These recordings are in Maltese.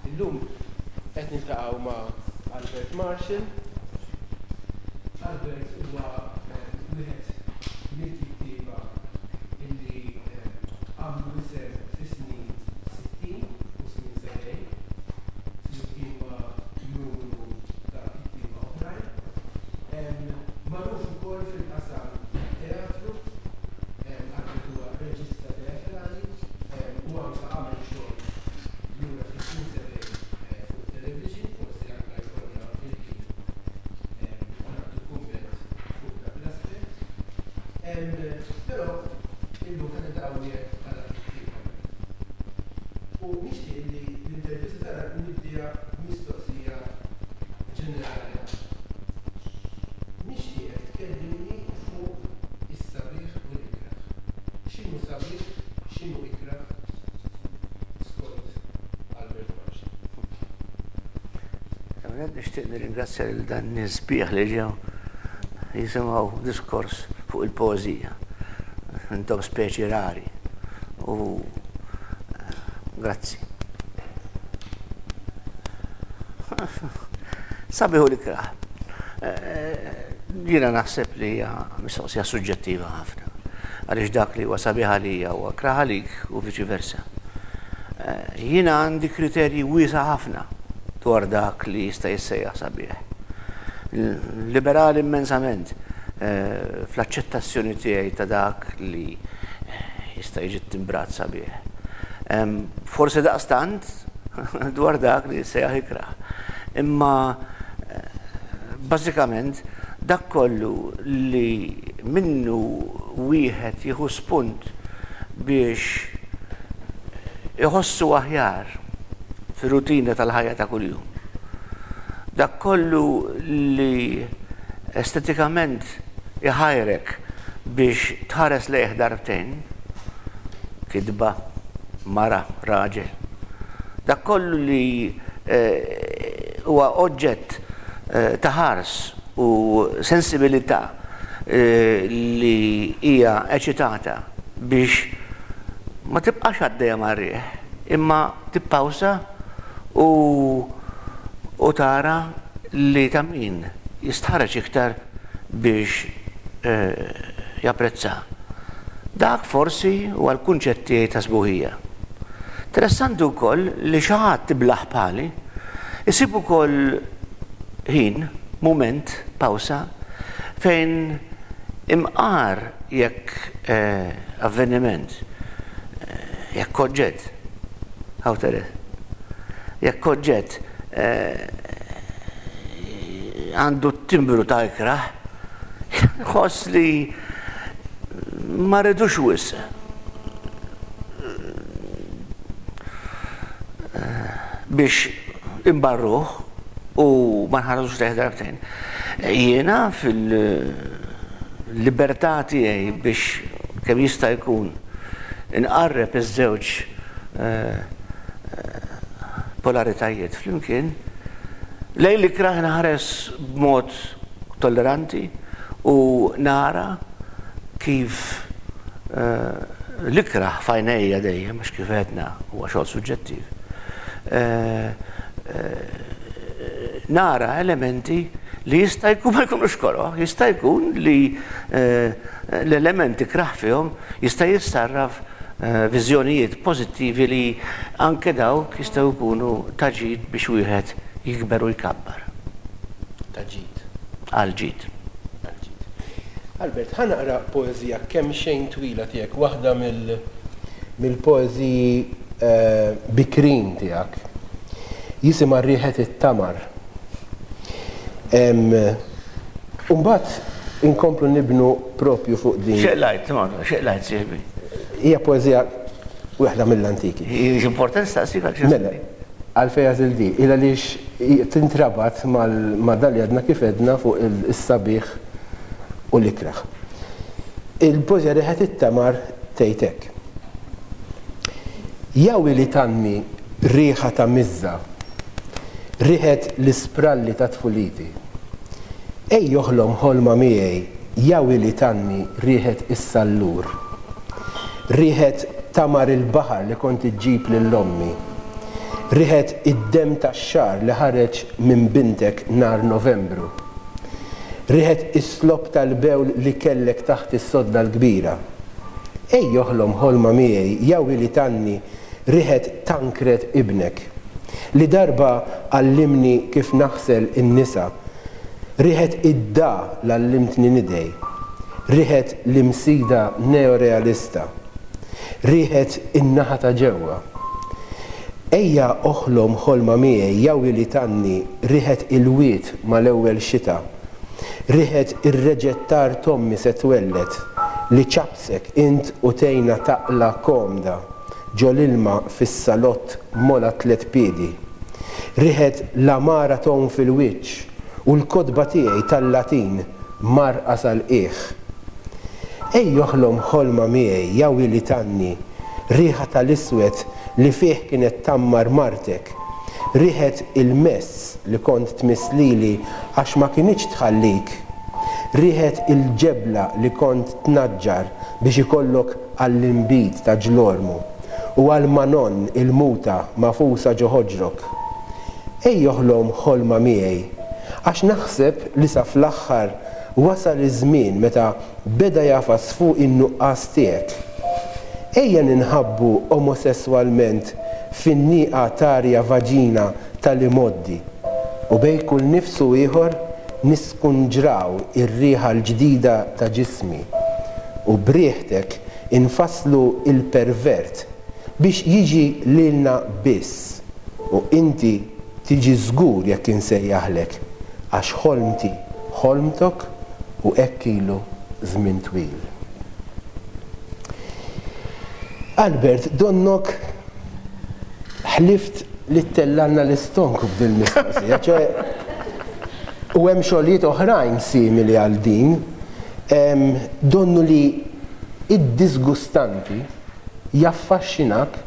Illum qed niltaqgħu ma' Albert Marshall. Albert huwa wieħed mill-kittieba illi għamlu isem fis-snin 60 u snin 70 flimkien ma' numru ta' kittieba oħrajn. Magħruf ukoll fil-qasam tat-teatru, Albert huwa reġista teatrali u anke għamel xogħol lura fis-snin 70 fuq it-television, forsi anke jkollna il-ħin nagħtu kumment fuq dak l-aspett. Però illum qed niltaqgħu miegħek bħala kittieb Albert. U nixtieq li l-intervista tagħna nibdiha b'mistoqsija ġenerali ħafna. Nixtieqek tkellimni fuq is-sabiħ u l-ikrah. X'inhu sabiħ, x'inhu ikrah skont Albert Marshall? L-ewwel nett nixtieq nirringrazzja lil dan nies sbieħ li ġew jisimgħu diskors fuq il-poeżija. Intom speċi rari u grazzi. Sabiħ u l-ikrah. Jiena naħseb li hija mistoqsija suġġettiva ħafna. Għaliex dak li huwa sabiħ għalija huwa ikrah għalik u viċi versa. Jiena għandi kriterji wiesa' ħafna dwar dak li jista' jissejjaħ sabiħ. Liberali immensament fl-aċċettazzjoni tiegħi ta' dak li jista' jiġi ttimbrat sabiħ. Forsi daqstant dwar dak li jissejjaħ ikrah. Imma bażikament dak kollu li minnu wieħed jieħu spunt biex iħossu aħjar fir-rutina tal-ħajja ta' kuljum. Dak kollu li estetikament iħajrek biex tħares lejh darbtejn, kitba, mara, raġel. Dak kollu li huwa oġġett ta' ħars u sensibilità li hija eċitata biex ma tibqax għaddejja mar-riħ, imma tippawsa u u tara li ta' min jistħarreġ iktar biex japprezza. Dak forsi huwa l-kunċett tiegħi ta' sbuħija. Interessanti wkoll li xi ħadd iblah bħali isib ukoll ħin, mument, pawsa, fejn imqar jekk avveniment, jekk oġġett, hawn Teres, jekk oġġett għandu t-timbru ta' ikrah, nħoss li ma rridux wisq biex imbarruh u ma nħarsux lejh darbtejn. Jiena fil-libertà tiegħi biex kemm jista' jkun inqarreb iż-żewġ polaritajiet flimkien, lejn l-ikrah inħares b'mod tolleranti u nara kif l-ikrah f'għajnejja dejjem, għax kif għedna huwa xogħol suġġettiv, nara elementi li jista' jkun ma jkunux koroh, jista' jkun li l-element ikrah fihom jista' jissarraf viżjonijiet pożittivi li anke dawk jistgħu jkunu ta' ġid biex wieħed jikber u jkabbar. Ta' ġid. Għal ġid. Għal ġid. Albert, ħa naqra poeżija kemxejn twila tiegħek, waħda mill-poeżiji bikrin tiegħek. Jisimha Riħet it-Tamar. U mbagħad inkomplu nibnu propju fuq din. X'qlajt, x'qlajt sieħbi? Hija poeżija waħda mill-antiki. Importanti staqsik għal xi. Mela, għalfejn għażilt di? Il għaliex tintrabat ma' dan li għadna kif għedna fuq is-sabiħ u l-ikrah. Il-poeżija Riħet it-Tamar tgħid hekk. Ja wili tgħanni riħa ta' miżża, riħet l-ispralli ta' tfuliti. Ej oħlom ħolma miegħi ja wili tgħanni riħet is-sallur. Riħet tamar il-baħar li kont iġġib lil ommi. Riħet id-demm tax-xagħar li ħareġ minn bintek nhar Novembru. Riħet is-slopp tal-bewl li kellek taħt is-sodda l-kbira. Ej oħlom ħolma miegħi ja wili tgħanni riħet Tancred ibnek. Li darba għallimni kif naħsel in-nisa. Riħet id-da l-għallimtni nidgħi. Riħet l-imsida neorealista. Riħet in-naħa ta' ġewwa. Ejja oħlom ħolma miegħi ja wili tgħanni riħet il-wied mal-ewwel xita. Riħet ir-reġettar t'ommi se twelled, li ċappsek int u tgħinha taqla' komda ġo l-ilma fis-salott m'ogħla tlett piedi. Riħet l-għamara tgħum fil-wiċċ u l-kotba tiegħi tal-Latin mgħarrqa sal-qiegħ. Ej oħlom ħolma miegħi ja wili tgħanni riħa tal-iswed li fih kienet tgħammar martek, riħet il-mess li kont tmiss lili għax ma kinitx tħallik, riħet il-ġebla li kont tnaġġar biex ikollok għall-inbid ta' ġlormu u għal Manon il-muta magħfusa ġo ħoġrok. Ej oħlom ħolma miegħi, għax naħseb li sa fl-aħħar wasal iż-żmien meta beda jagħfas fuqi n-nuqqas tiegħek. Ejja ninħabbu omosesswalment fin-nieqa t'arja vaġina tal-imgħoddi u bejn kull nifs u ieħor niskunġraw ir-riħa l-ġdida ta' ġismi u b'riħtek infasslu l-pervert biex jiġi lilna biss u inti tiġi żgur jekk insejjaħlek għax ħolmti ħolmtok u hekk ilu żmien twil. Albert, donnok ħlift li ttellgħalna l-istonku b'dil-mistoqsija, ċoe u hemm xogħlijiet oħrajn simili għal din, donnu li id-disgustanti jaffaxxinak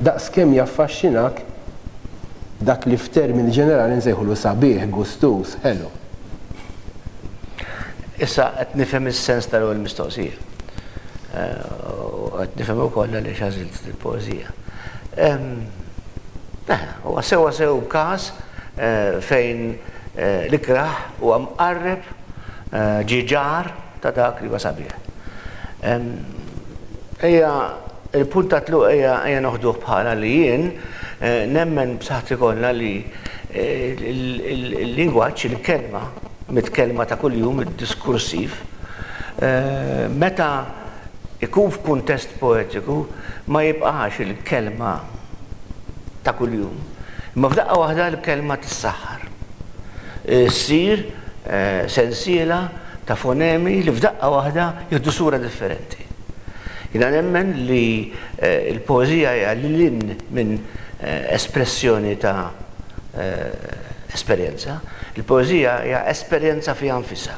daqskemm jaffaxxinak dak li f'termini ġenerali nsejħulu sabiħ, gustuż, ħelu. Issa qed nifhem is-sens tal-ewwel mistoqsija. U qed nifhem ukoll għaliex għażilt il-poeżija. Huwa sewwa sew każ fejn l-ikrah huwa mqarreb ġie ġar ta' dak li huwa sabiħ. Ejja, il-punt ta' tluq ejja ejja noħduh bħala li jien nemmen b'saħħti kollha li l-lingwaġġ, il-kelma, mitkellma ta' kuljum, id-diskursiv, meta ikun f'kuntest poetiku ma jibqax il-kelma ta' kuljum, imma f'daqqa waħda l-kelma tissaħħar. Issir sensiela ta' fonemi li f'daqqa waħda jieħdu sura differenti. Jiena nemmen li l-poeżija hija lil hinn minn espressjoni ta' esperjenza. Il-poeżija hija esperjenza fiha nfisha.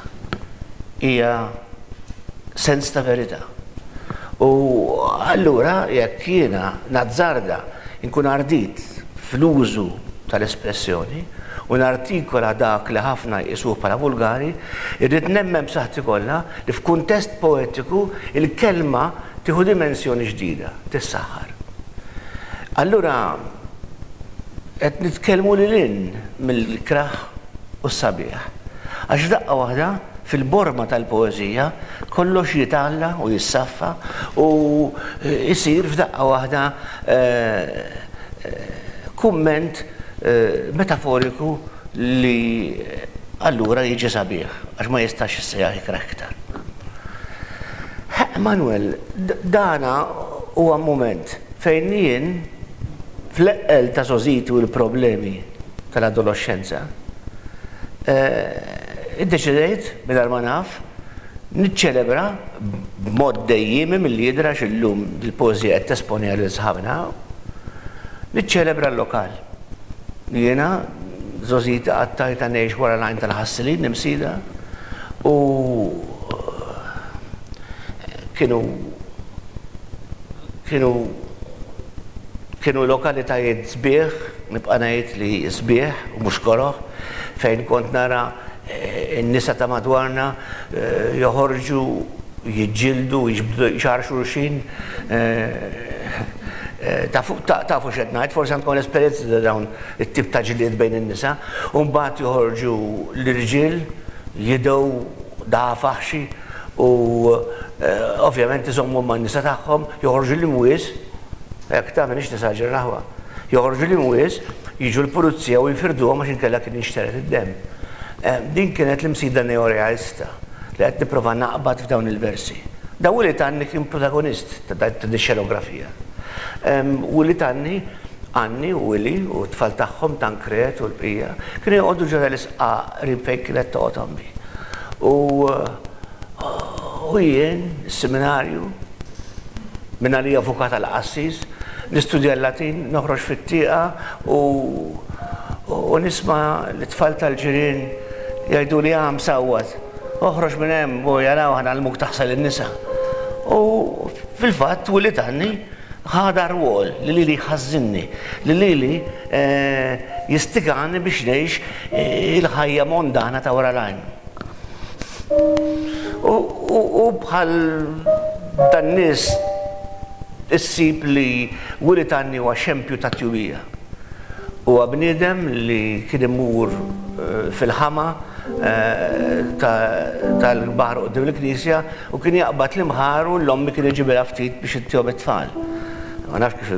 Hija sens ta' verità. U allura jekk jiena nazzarda nkun ardit fl-użu tal-espressjoni u nartikola dak li ħafna jqisuh bħala vulgari, irrid nemmen b'saħħti kollha li f'kuntest poetiku l-kelma tieħu dimensjoni ġdida, tissaħħar. Allura qed nitkellmu lil hinn mill-ikrah u s-sabiħ. Għax f'daqqa waħda, fil-borma tal-poeżija, kollox jitgħalla u jissaffa u jsir f'daqqa waħda kumment metaforiku li allura jiġi sabiħ għax ma jistax jissejjaħ ikrah iktar. Manuel, dana huwa mument fejn jien fl-eqqel ta' żgħożiti u l-problemi tal-adoloxxenza. Iddeċidejt, mingħajr ma naf, niċċelebra b'mod dejjiemi milli jidher għax illum dil-poeżija qed tesponiha lil sħabna, niċċelebra l-lokal. Jiena żgħożiti qattajtha ngħix wara l-għajn tal-Ħassilin, l-Imsida, u kienu kienu kienu lokalitajiet sbieħ, nibqa' ngħid li sbieħ u mhux koroh, fejn kont nara n-nisa ta' madwarna joħorġu jiġġieldu, jiġbdu xagħar xulxin. Tafu tafu x'qed ngħid, forsi għandkom l-esperjenza ta' dawn it-tip ta' ġlied bejn in-nisa. U mbagħad joħorġu l-irġiel jidgħu dagħa faħxi u ovvjament iżommu man-nisa tagħhom, joħorġu l-imwies, hekk ta' m'iniex nesaġera l-aħwa, joħorġu l-imwies, jiġu l-pulizija u jfirduhom għax inkella kien jinxtered id-demm. Din kienet l-Imsida neorealista li qed nipprova naqbad f'dawn il-versi. Da Willy Tanni kien protagonist ta' din xenografija. Willy Tanni, Anni u Willy u t-tfal tagħhom Tancred u l-bqija, kienu joqogħdu ġo tal-isqaq qrib fejn kienet toqgħod ommi. U u jien, is-seminarju, minn għalija avukat għal qassis, nistudja l-Latin, noħroġ fit-tieqa u u nisma' lit-tfal tal-ġirien jgħiduli ah msawwat, oħroġ minn hemm u jaraw ħa ngħallmuk taħsel in-nisa. U fil-fatt Willy Tanni ħa dar-rwol li lili jħażżinni, li lili jistigani biex ngħix il-ħajja mondana ta' wara l-għajn. U bħal dan-nies issib li Willy Tanni huwa xempju ta' tjubija. Huwa bniedem li kien imur fil-ħama tal-baħar quddiem il-knisja u kien jaqbad l-imħar u l-ommi kien iġibilha ftit biex ittihom it-tfal. Ma nafx kif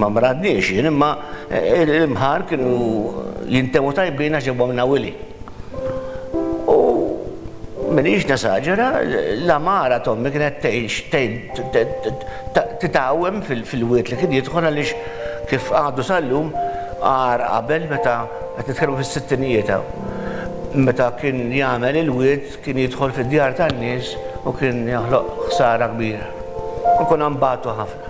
ma mradniex jien imma l-imħar kienu jintemmu tajbin għax ġabhomlna Willy. U m'iniex nesaġera, l-għamara t'ommi kienet tgħix titgħawwem fil-wied li kien jidħol għaliex kif għadu sal-lum agħar qabel meta qed nitkellmu fis-sittinijiet hawn. Meta kien jagħmel il-wied kien jidħol fid-djar tan-nies u kien joħloq ħsara kbira. U konna nbatu ħafna.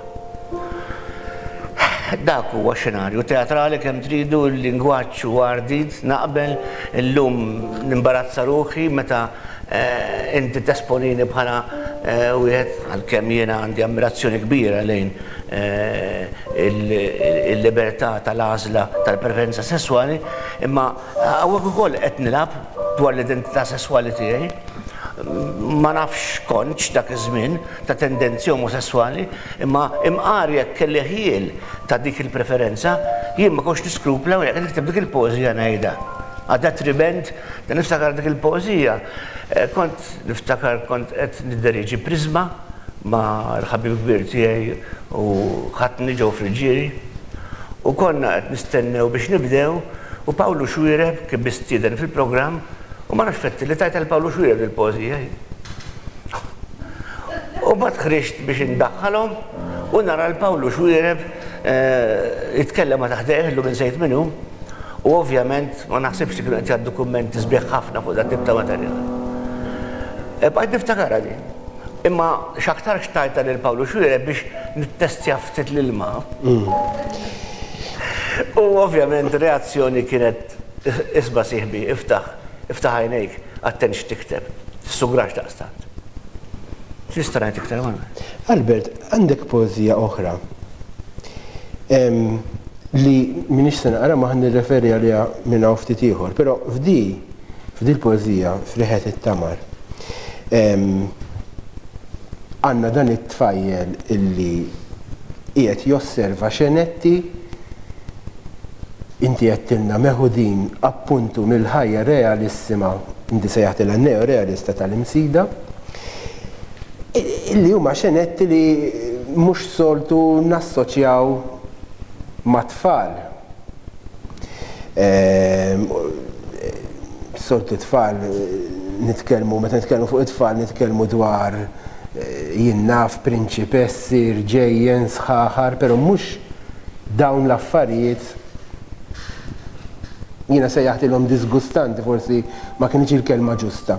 Dak huwa xenarju teatrali kemm tridu, il-lingwaġġ huwa ardit, naqbel, illum nimbarazza ruħi meta inti tesponini bħala wieħed, għalkemm jiena għandi ammirazzjoni kbira lejn il-libertà tal-għażla tal-preferenza sesswali, imma hawnhekk ukoll qed nilgħab dwar l-identità sesswali tiegħi. Ma nafx kontx dak iż-żmien ta' tendenzi omosesswali, imma imqar jekk kelli ħjiel ta' dik il-preferenza, jien ma kontx niskrupla u jekk qed nikteb dik il-poeżija ngħidha. A detriment ta' niftakar dik il-poeżija, kont niftakar kont qed nidderieġi Prisma ma' l-ħabib kbir tiegħi u ħatni Joe Friggieri u konna qed nistennew biex nibdew u Pawlu Xuereb kien mistieden fil-programm u ma nafx fetti li tajtha 'l Pawlu Xuereb dil-poeżija jien. U mbagħad ħriġt biex indaħħalhom u nara 'l Pawlu Xuereb jitkellem ma' ta' ħdejh, illum insejt min hu, u ovvjament ma naħsibx li kienu qed jgħaddu kummenti sbieħ ħafna fuq dat-tip ta' materjal. Bqajt niftakarha din. Imma x'aktarx tajtha lil Pawlu Xuereb biex nittestja ftit l-ilma. U ovvjament ir-reazzjoni kienet isma' sieħbi, iftaħ, iftaħ għajnejk, attent x'tikteb. Tissugrax daqstant. X'nista' ngħid iktar, Manuel? Albert, għandek poeżija oħra li m'iniex se naqra ma ħa nirreferi għaliha minn hawn ftit ieħor, però f'di f'di l-poeżija f'Riħet it-Tamar għandna dan it-tfajjel illi qiegħed josserva xenetti Inti għedtilna meħudin appuntu mill-ħajja realissima, inti sejjaħtilha neo-realista tal-Imsida, illi huma xenetti li mhux soltu nassoċjaw mat-tfal. Soltu tfal nitkellmu, meta nitkellmu fuq it-tfal nitkellmu dwar jien naf prinċipessi, rġejjen, sħaħar, però mhux Dawn l-affarijiet Jiena sejjaħtilhom diżgustanti, forsi ma kinitx il-kelma ġusta.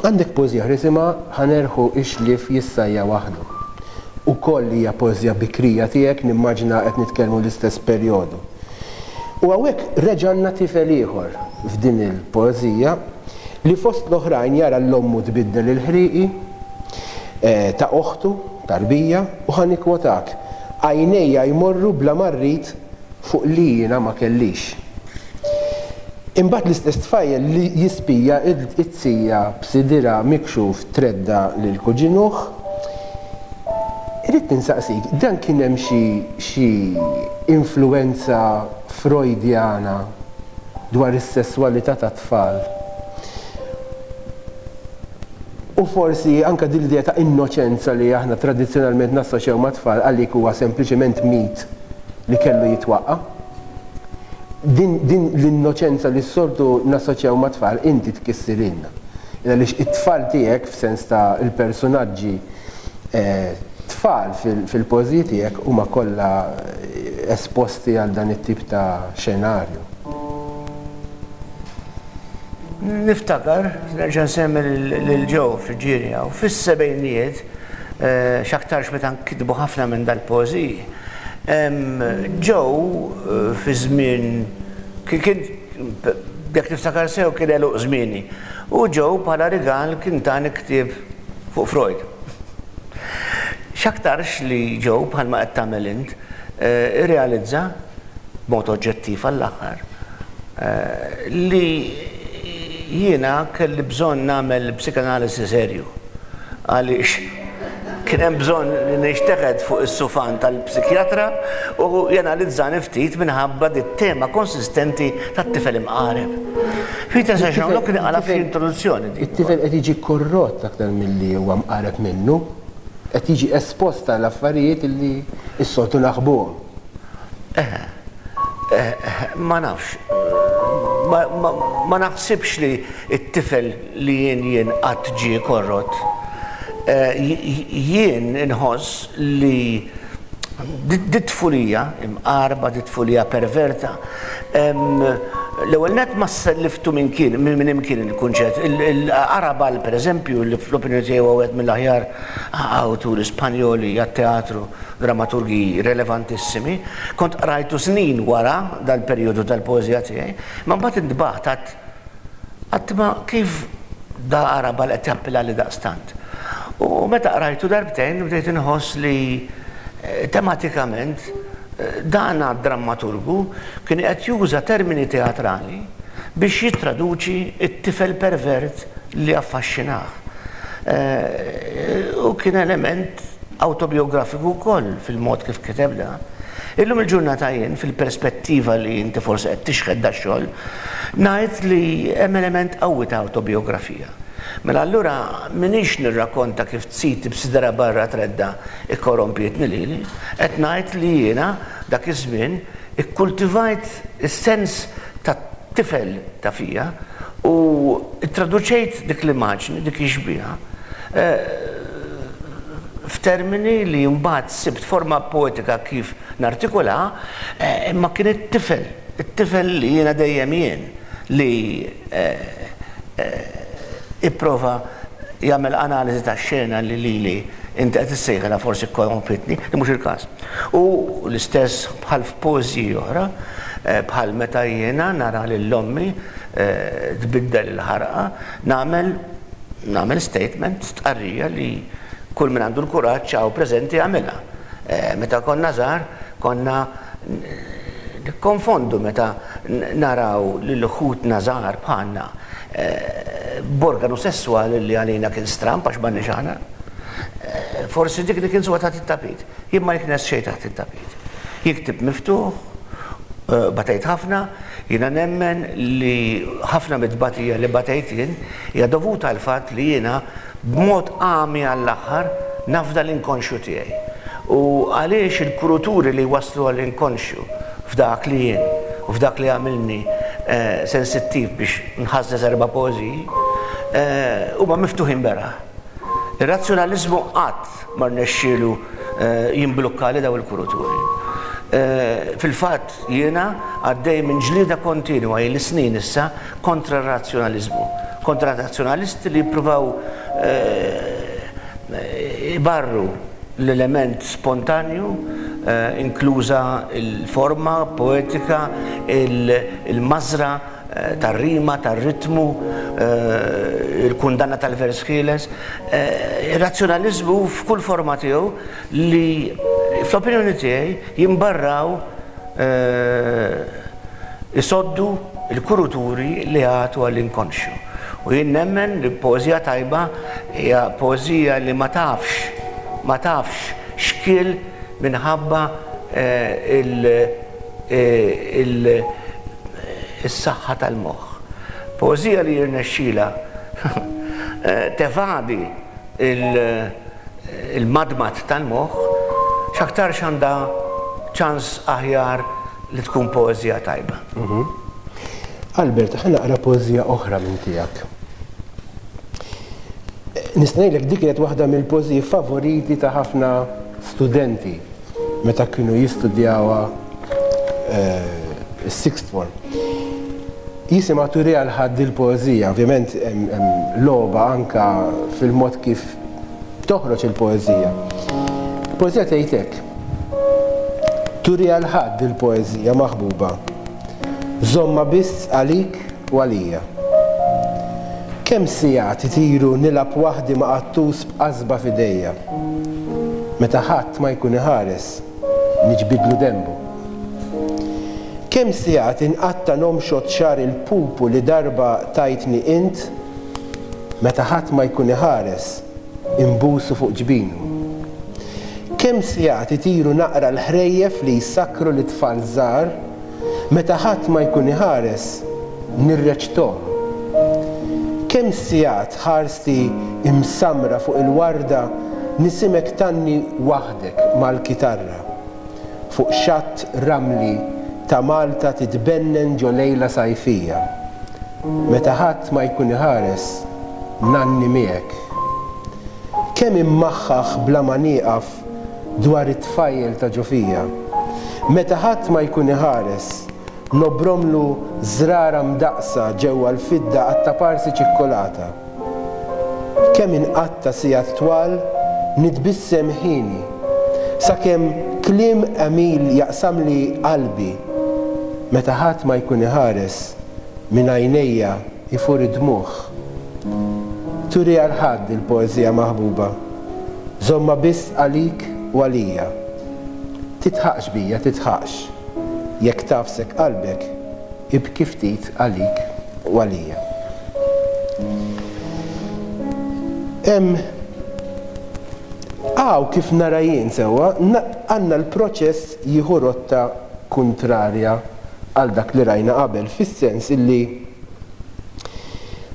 Għandek poeżija oħra jisimha Ħa nerħu x-xlief jissajja waħdu. Ukoll hija poeżija bikrija tiegħek, nimmaġina qed nitkellmu l-istess perjodu. U hawnhekk reġa' għandna tifel ieħor f'din il-poeżija li fost l-oħrajn jara 'l ommu tbiddel il-ħrieqi ta' oħtu, tarbija, u ħa nikkwotak, Għajnejja jmorru bla ma rrid fuq li jiena ma kellix. Imbagħad l-istess tfajjel li jispija t-tija b'sidirha mikxuf tredda' lil kuġinuh. Ridt insaqsik, dan kien hemm xi xi influwenza Freudjana dwar is-sesswalità tat-tfal? U forsi anke din l-idea ta' innoċenza li aħna tradizzjonalment nassoċjaw mat-tfal għalik huwa sempliċement mit li kellu jitwaqqa'? Din din l-innoċenza li s-soltu nassoċjaw mat-tfal inti tkissirhielna. Għaliex it-tfal tiegħek f'sens ta' l-persunaġġi tfal fil-poeżiji tiegħek huma kollha esposti għal dan it-tip ta' xenarju. Niftakar, nerġa' nsemmi lil Joe Friggieri hawn, fis-sebgħinijiet, x'aktarx meta nkitbu ħafna minn dal-poeżiji, Joe fi żmien kien jekk niftakar sew kien għeluq żmieni u Joe bħala rigal kien tani ktieb fuq Freud. X'aktarx li Joe, bħalma qed tagħmel int, irrealizza, b'mod oġġettiv għall-aħħar, li jiena kelli bżonn nagħmel psikanalisi serju għaliex kien hemm bżonn li nixteħet fuq is-sufan tal-psikjatra u janalizzani ftit minħabba dit-tema konsistenti tat-tifel imqareb. Peter Saint-Jean-Luc kien qalha fl-introduzzjoni. It-tifel qed jiġi korrott aktar milli huwa mqareb minnu. Qed jiġi espost għal affarijiet li s-soltu naħbuhom. Eħe. Ma nafx. Ma naħsibx li t-tifel li jien jien qatt ġie korrott. Jien inħoss li dit-tfulija imqarba, dit-tfulija perverta, l-ewwel nett ma selliftu minn kien, minn imkien il-kunċett. Il-Arrabal, pereżempju, li fl-opinjoni tiegħi huwa wieħed mill-aħjar awturi Spanjoli għat-teatru, dramaturgi relevantissimi, kont qrajtu snin wara dal-perjodu tal-poeżija tiegħi, imma mbagħad intbaħt għad għad ma kif da Arrabal qed jappillali daqstant. U meta qrajtu darbtejn bdejt inħoss li tematikament dan għad-drammaturgu kien qed juża termini teatrali biex jittraduċi t-tifel pervert li affaxxinah. U kien element awtobijografiku wkoll fil-mod kif kiteb dan. Illum il-ġurnata jien, fil-perspettiva li inti forsi qed tixħet dax-xogħol, ngħid li hemm element qawwi ta' awtobijografija. Mela allura m'iniex nirrakkonta kif tsiti b'sidra barra tredda' ikkorrompietni lili, qed ngħid li jiena dak iż-żmien ikkultivajt is-sens ta' tifel ta' fija u ttraduċejt dik l-immaġni, dik ix-xbieha, f'termini li mbagħad sibt forma poetika kif nartikulaha, imma kien it-tifel, it-tifel li jiena dejjem jien, li ipprova jagħmel analiżi tax-xena li lili inti qed issejħilha forsi kkorrompitni, li mhux il-każ. U l-istess bħal f'poeżiji oħra, bħal meta jiena nara lil ommi tbiddel il-ħarqa, nagħmel nagħmel statement, stqarrija li kull min għandu l-kuraġġ hawn preżenti jagħmilha. Meta konna żgħar konna nikkonfondu meta naraw lil ħutna żgħar bħalna b'organu sesswali li għalina kien stramb għax m'għandniex aħna. Forsi dik li kien suwa taħt it-tapit. Jien ma niknes xejn taħt it-tapit. Jien ktibt miftuħ, batejt ħafna, jiena nemmen li ħafna mit-tbatija li batejt jien hija dovuta għall-fatt li jiena b'mod għami għall-aħħar nafda l-inkonxju tiegħi. U għaliex il-kuruturi li jwasslu għall-inkonxju f'dak li jien u f'dak li jagħmilni sensittiv biex nħażżeż erba' poeżiji huma miftuħin beraħ. Ir-razzjonaliżmu qatt ma rnexxielu jimblukkali dawn il-kuruturi. Fil-fatt jiena għaddej minn ġlieda kontinwa ili snin issa kontra r-razzjonaliżmu, kontra r-razzjonalisti li jippruvaw ibarru l-element spontanju, inkluża l-forma poetika, il-mażra tar-rima, tar-ritmu, il-kundanna tal-vers ħieles. Ir-razzjonaliżmu f'kull forma tiegħu li fl-opinjoni tiegħi jimbarraw isoddu l-kuruturi li jagħtu għall-inkonxju. U jien nemmen li poeżija tajba hija poeżija li ma tafx ma tafx xkiel minħabba is-saħħa tal-moħħ. Poeżija li jirnexxilha tevadi il-madmad tal-moħħ, x'aktarx għandha ċans aħjar li tkun poeżija tajba. Albert, ħa naqra poeżija oħra minn tiegħek. Nista' ngħidlek dik kienet waħda mill-poeżiji favoriti ta' ħafna studenti meta kienu jistudjawha s-sixth form. Jisimha Turi għal ħadd il-poeżija, ovvjament hemm logħba anke fil-mod kif toħroġ il-poeżija. Il-poeżija tgħid hekk. Turi għal ħadd il-poeżija maħbuba. Żommha biss għalik u għalija. Kemm sigħat itiru nilgħab waħdi ma' qattus b'qasba f'idejja. Meta ħadd ma jkun iħares, niġbidlu denbu. Kemm sigħat inqatta' nomxot xagħar il-pupu li darba tajtni int, meta ħadd ma jkun iħares, inbusu fuq ġbinu. Kemm sigħat itiru naqra l-ħrejjef li jsakkru lit-tfal żgħar, meta ħadd ma jkun iħares, nirreċthom. Kemm sigħat ħarsti msammra fuq il-warda nisimgħek tgħanni waħdek mal-kitarra. Fuq xatt ramli ta' Malta titbennen ġo lejla sajfija. Meta ħadd ma jkun iħares, ngħanni miegħek. Kemm immaħħaħ bla ma nieqaf dwar it-tfajjel ta' ġo fija. Meta ħadd ma jkun iħares, Nobromlu żrara mdaqqsa ġewwa l-fidda għat-taparsi ċikkulata. Kemm inqatta' sigħat twal nitbissem ħini, sakemm kliem għemil jaqsamli qalbi, meta ħadd ma jkun iħares, minn għajnejja jfur id-dmugħ. Turi għal ħadd il-poeżija maħbuba. Żommha biss għalik u għalija. Tidħaqx bija, tidħaqx. Jekk tagħfsek qalbek, ibki ftit għalik u għalija. Hemm hawn kif nara jien sewwa, għandna l-proċess jieħu rotta kuntrarja għal dak li rajna qabel, fis-sens illi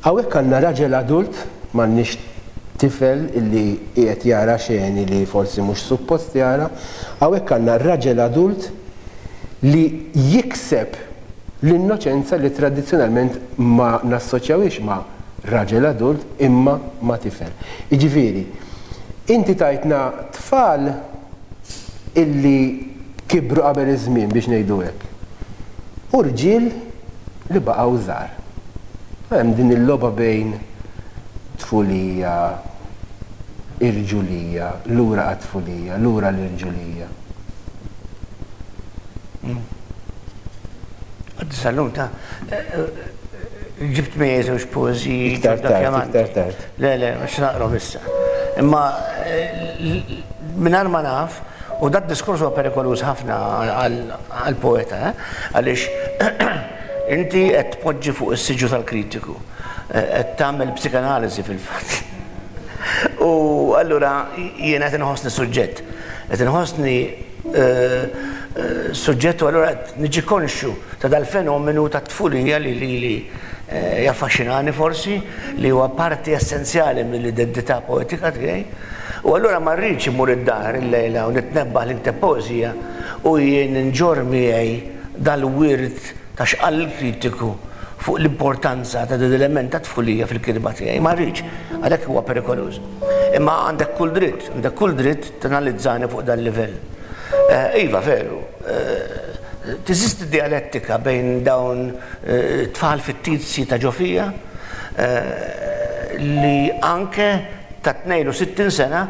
hawnhekk għandna raġel adult, m'għandniex tifel illi qiegħed jara xeni li forsi mhux suppost jara, hawnhekk għandna raġel adult li jikseb l-innoċenza li tradizzjonalment ma nassoċjawhiex ma' raġel adult imma ma' tifel. Jiġifieri, inti tajtna tfal illi kibru qabel iż-żmien biex ngħidu hekk, u rġiel li baqgħu żgħar. Hemm din il-logħba bejn tfulija, irġulija, lura għat-tfulija, lura l-irġulija. Għaddi sal-lum ta' ġibt miegħi żewġ poeżiji. Iktar tard, iktar tard. Le, le, mhux naqrom issa. Imma mingħajr ma naf, u dat diskors huwa perikoluż ħafna għall-poeta, eh? Għaliex inti qed tpoġġi fuq is-siġġu tal-kritiku, qed tagħmel psikanaliżi fil-fatt. U allura jiena qed inħossni suġġett. Qed inħossni suġġett u allura qed niġi konxju ta' dal-fenomenu tat-tfulija li lili jaffaxxinani forsi, li huwa parti essenzjali mill-identità poetika tiegħi. U allura ma rridx immur id-dar illejla u nitnebbaħ li nikteb poeżija u jien inġorr miegħi dal-wirt ta' x'qal il-kritiku fuq l-importanza ta' dan l-element ta' tfulija fil-kitba tiegħi. Ma rridx, għalhekk huwa perikoluż. Imma għandek kull dritt, għandek kull dritt tanalizzani fuq dal-livell. Iva, veru. teżisti dialettika bejn dawn tfal fittizji ta' ġo fija li anke ta' 62 sena,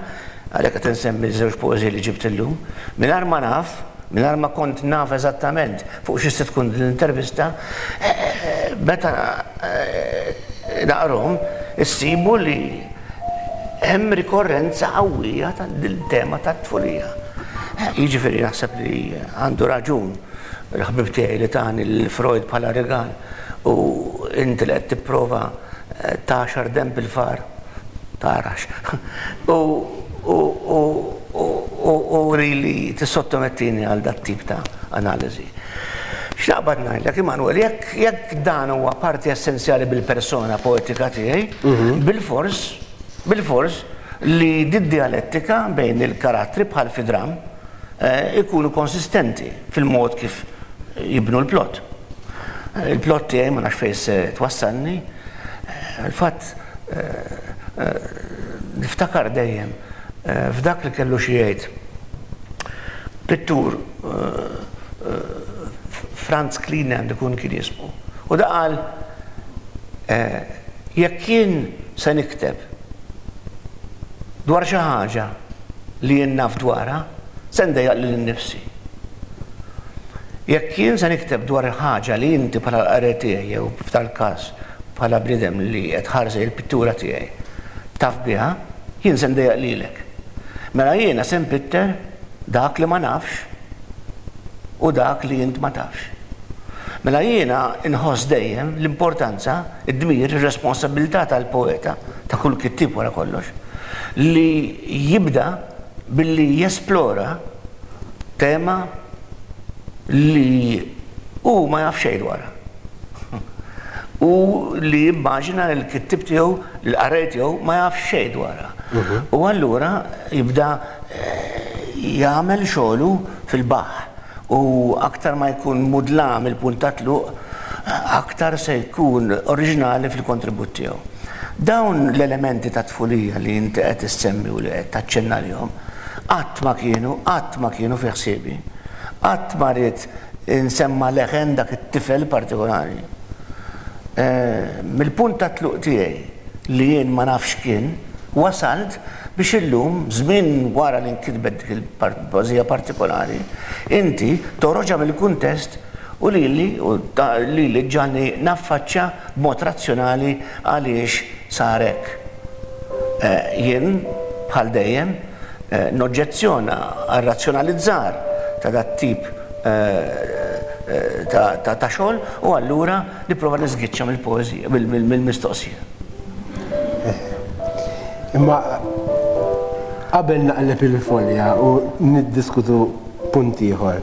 għalhekk qed insemmi ż-żewġ poeżiji li ġibt illum, mingħajr ma naf, mingħajr ma kont naf eżattament fuq xi se tkun din l-intervista, meta naqrahom issibu li hemm rikorrenza qawwija ta' dil-tema tat-tfulija. Jiġifieri naħseb li għandu raġun il-ħbieb tiegħi li tani lil Freud bħala rigal u inti li qed tipprova tagħxar denb il-far tarax u u u u u really tissottomettini għal dat-tip ta' analiżi. X'naqbad ngħidlek, Immanuel, jekk jekk dan huwa parti essenzjali bil-persona poetika tiegħi, bilfors, bilfors li did-dialettika bejn il-karattri bħal fi dramm ikunu konsistenti fil-mod kif jibnu l-plot. Il-plot tiegħi ma nafx fejn se twassalni, fil-fatt niftakar dejjem f'dak li kellu xi jgħid pittur Franz Kline għandu jkun kien jismu. U da qal jekk jien se nikteb dwar xi ħaġa li jien naf dwarha, se ndejjaq lili nnifsi. Jekk jien se nikteb dwar ħaġa li inti bħala l-qarrej tiegħi jew f'dal-każ bħala bniedem li qed tħares lejn il-pittura tiegħi taf biha, jien se ndejjaq lilek. Mela jiena se npitter dak li ma nafx u dak li int ma tafx. Mela jiena nħoss dejjem l-importanza, id-dmir, ir-responsabbiltà tal-poeta, ta' kull kittieb wara kollox, li jibda billi jesplora tema li hu ma jaf xejn dwarha. U li jimmaġina li l-kittieb tiegħu, l-qarrej tiegħu ma jaf xejn dwarha. U allura jibda jagħmel xogħlu fil-baħħ. U aktar ma jkun mudlam il-punt ta' tluq, aktar se jkun oriġinali fil-kontribut tiegħu. Dawn l-elementi ta' tfulija li inti qed issemmi u li qed taċċenna għalihom, qatt ma kienu, qatt ma kienu fi ħsiebi. Qatt ma ridt insemma' leħen dak it-tifel partikolari. Mill-punt ta' tluq tiegħi li jien ma nafx x'kien, wasalt biex illum, żmien wara li nkitbet dik il-poeżija partikolari, inti toħroġha mill-kuntest u lili, u lili ġġagħalni naffaċċja b'mod razzjonali għaliex sar hekk. Jien, bħal dejjem, noġġezzjona għar-razzjonalizzar ta' dat-tip ta' xogħol u allura nipprova niżgiċċa mill-poeżija, mill-mistoqsija. Imma qabel naqleb il-folja u niddiskutu punt ieħor.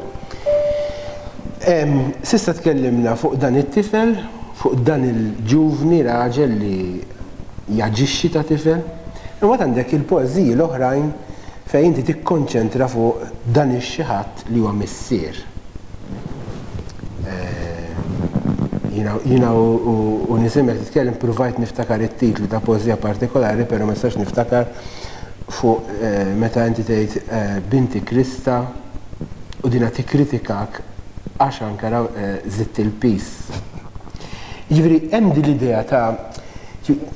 S'issa tkellimna fuq dan it-tifel, fuq dan il-ġuvni raġel li jaġixxi ta' tifel. Imbagħad għandek il-poeżiji l-oħrajn fejn inti tikkonċentra fuq dan ix-xi ħadd li huwa missier. Jiena jiena u nisimgħek titkellem pruvajt niftakar it-titlu ta' poeżija partikolari però ma nistax niftakar fuq meta inti tgħid binti Krista u dinha tikkritikak għax anke żidt il-piż. Jiġifieri hemm din l-idea ta'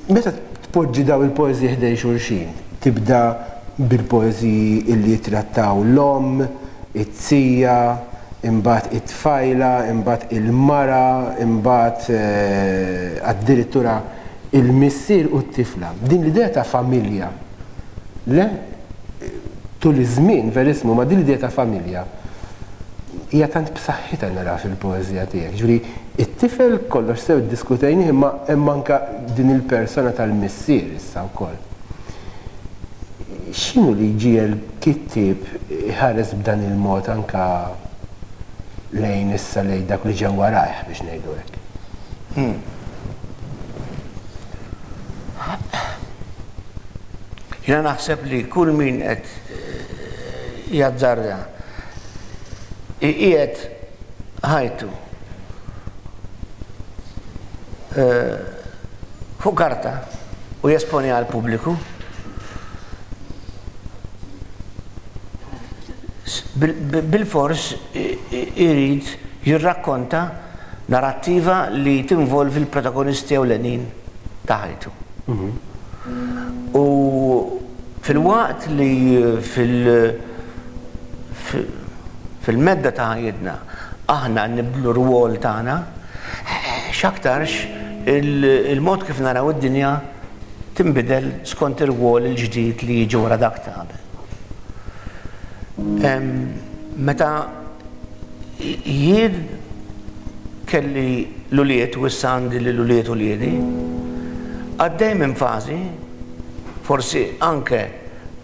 Meta tpoġġi dawn il-poeżiji ħdejn xulxin, tibda bil-poeżiji illi jittrattaw l-omm, it-zija, imbagħad it-tfajla, imbagħad il-mara, imbagħad addirittura il-missier u t-tifla. Din l-idea ta' familja, le? Tul iż-żmien, verissmu, ma din l-idea ta' familja hija tant b'saħħitha naraha fil-poeżija tiegħek. Jiġifieri, it-tifel kollox sew iddiskutejnih imma hemm anke din il-persona tal-missier issa wkoll. X'inhu li jġiegħel kittieb iħares b'dan il-mod anke lejn issa lejn dak li ġew warajh biex ngħidu hekk? Jiena naħseb li kull min qed jazzarda iqiegħed ħajtu fuq karta u jesponiha għall-pubbliku, bilfors irid jirrakkonta narrattiva li tinvolvi l-protagonisti ewlenin ta' ħajtu. U filwaqt li fil-medda ta' ħajjitna aħna nibdlu r-rwol tagħna, x'aktarx il-mod kif naraw id-dinja tinbidel skont ir-rwol il-ġdid li jiġi wara dak ta' qabel. Meta jien kelli l-ulied u issa għandi lil ulied uliedi, għaddej minn fażi, forsi anke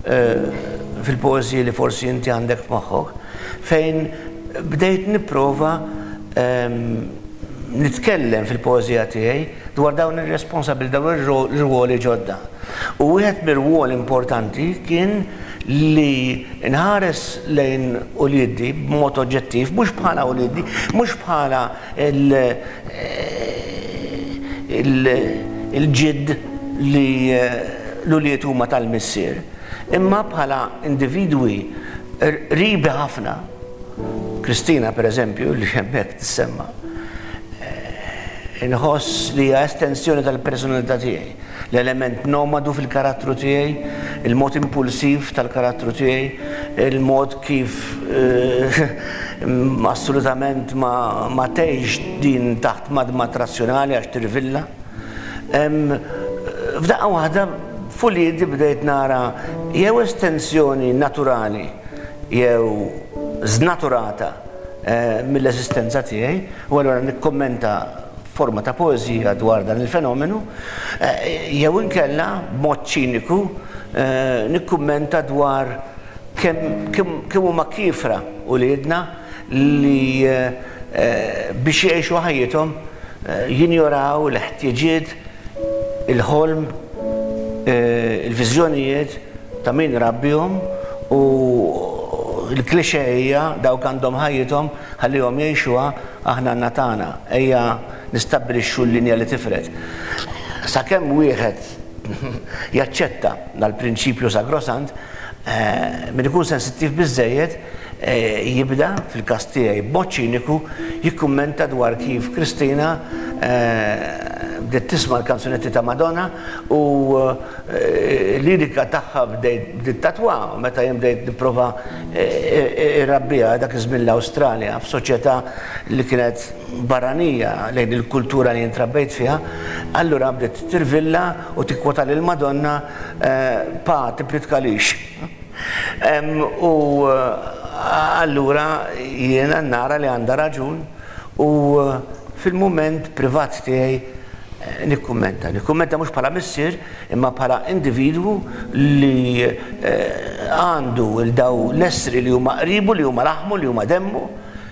fil-poeżiji li forsi inti għandek f'moħħok, fejn bdejt nipprova nitkellem fil-poeżija tiegħi dwar dawn ir-responsabilità, dawn ir-rwoli ġodda. U wieħed mir-rwol importanti kien li nħares lejn uliedi b'mod oġġettiv, mhux bħala uliedi, mhux bħala il-ġidd li l-ulied huma tal-missier, imma bħala individwi qribi ħafna. Kristina, per eżempju, li hemmhekk tissemma, inħoss li hija estensjoni tal-personalità tiegħi. L-element nomadu fil-karattru tiegħi, il-mod impulsiv tal-karattru tiegħi, il-mod kif assolutament ma tgħix din taħt madmad razzjonali għax tirvilla. F'daqqa waħda f'uliedi bdejt nara jew estensjoni naturali jew żnaturata mill-eżistenza tiegħi u allura nikkummenta f'forma ta' poeżija dwar dan il-fenomenu, jew inkella b'mod ċiniku nikkummenta dwar kemm kemm huma kiefra uliedna li biex jgħixu ħajjithom jinjoraw il-ħtieġiet, il-ħolm, il-viżjonijiet ta' min rabbihom u l-cliché hija dawk għandhom ħajjithom ħallihom jgħixuha aħna għandna tagħna. Ejja nistabbilixxu l-linja li tifred. Sakemm wieħed jaċċetta dal-prinċipju sagrosant, min ikun sensittiv biżżejjed jibda, fil-każ tiegħi b'mod ċiniku, jikkummenta dwar kif Kristina bdiet tisma' l-kanzunetti ta' Madonna u l-lirika tagħha bdejt tatwa meta jien bdejt nipprova irrabbiha dak iż-żmien l-Awstralja f'soċjetà li kienet barranija lejn il-kultura li jien trabbejt fiha, allura bdiet tirvilla u tikkwota lil Madonna pa tippritkalix. U allura jiena nara li għandha raġun u fil-mument privat tiegħi nikkummenta. Nikkummenta mhux bħala missier imma bħala individwu li għandu 'l daw l-essri li huma qribu, li huma laħmu, li huma demmu,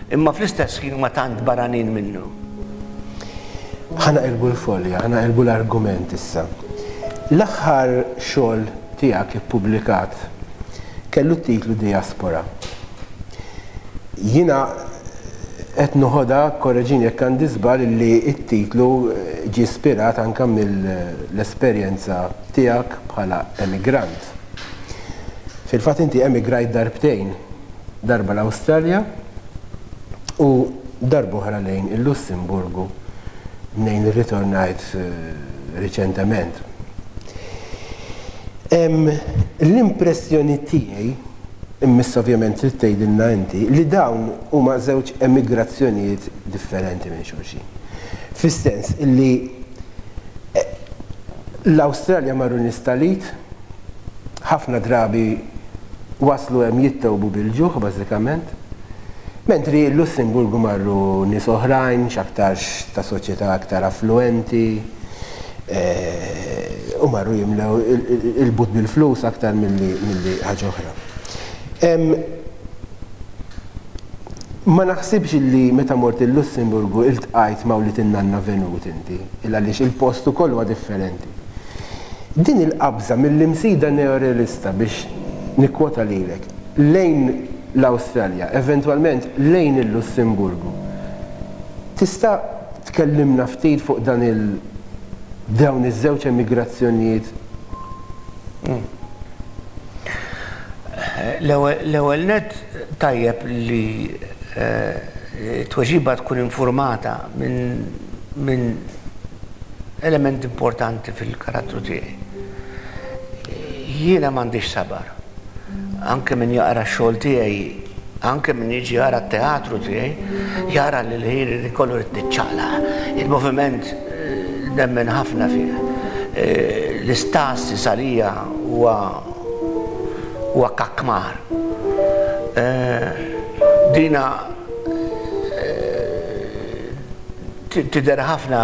imma fl-istess ħin huma tant barranin minnu. Ħa naqilbu l-folja, ħa naqilbu l-argument issa. L-aħħar xogħol tiegħek ippubblikat kellu t-titlu Diaspora. Jiena qed noħodha, korreġini jekk għandi żball, illi t-titlu ġie ispirat anke mill-esperjenza tiegħek bħala emigrant. Fil-fatt inti emigrajt darbtejn, darba l-Awstralja u darb'oħra lejn il-Lussemburgu mnejn irritornajt riċentement. L-impressjoni tiegħi Imma issa ovvjament trid tgħidilna inti li dawn huma żewġ emigrazzjonijiet differenti minn xulxin. Fis-sens illi l-Awstralja marru nies tal-id, ħafna drabi waslu hemm jittewbu bil-ġuħ bażikament, mentri l-Lussemburgu marru nies oħrajn, x'aktarx ta' soċjetà aktar affluenti, u marru jimlew il-but bil-flus aktar milli ħaġa oħra. Ma naħsibx li meta mort il-Lussemburgu iltqajt ma' wlied in-nanna Venut inti, il għaliex il-post ukoll huwa differenti. Din il-qabża mill-Imsida neorealista biex nikkwota lilek, lejn l-Awstralja, eventwalment lejn il-Lussemburgu, tista' Tkellimna ftit fuq dan il dawn iż-żewġ emigrazzjonijiet. L-ewwel nett tajjeb li t-tweġiba tkun infurmata minn element importanti fil-karattru tiegħi. Jiena m'għandix sabar. Anke min jaqra x-xogħol tiegħi, anke min jiġi jara t-teatru tiegħi, jara li l-ħin kollu rrid niċċaqlaq. Il-moviment nemmen ħafna fih. L-istasi għalija huwa huwa kakmar. Dina tidher ħafna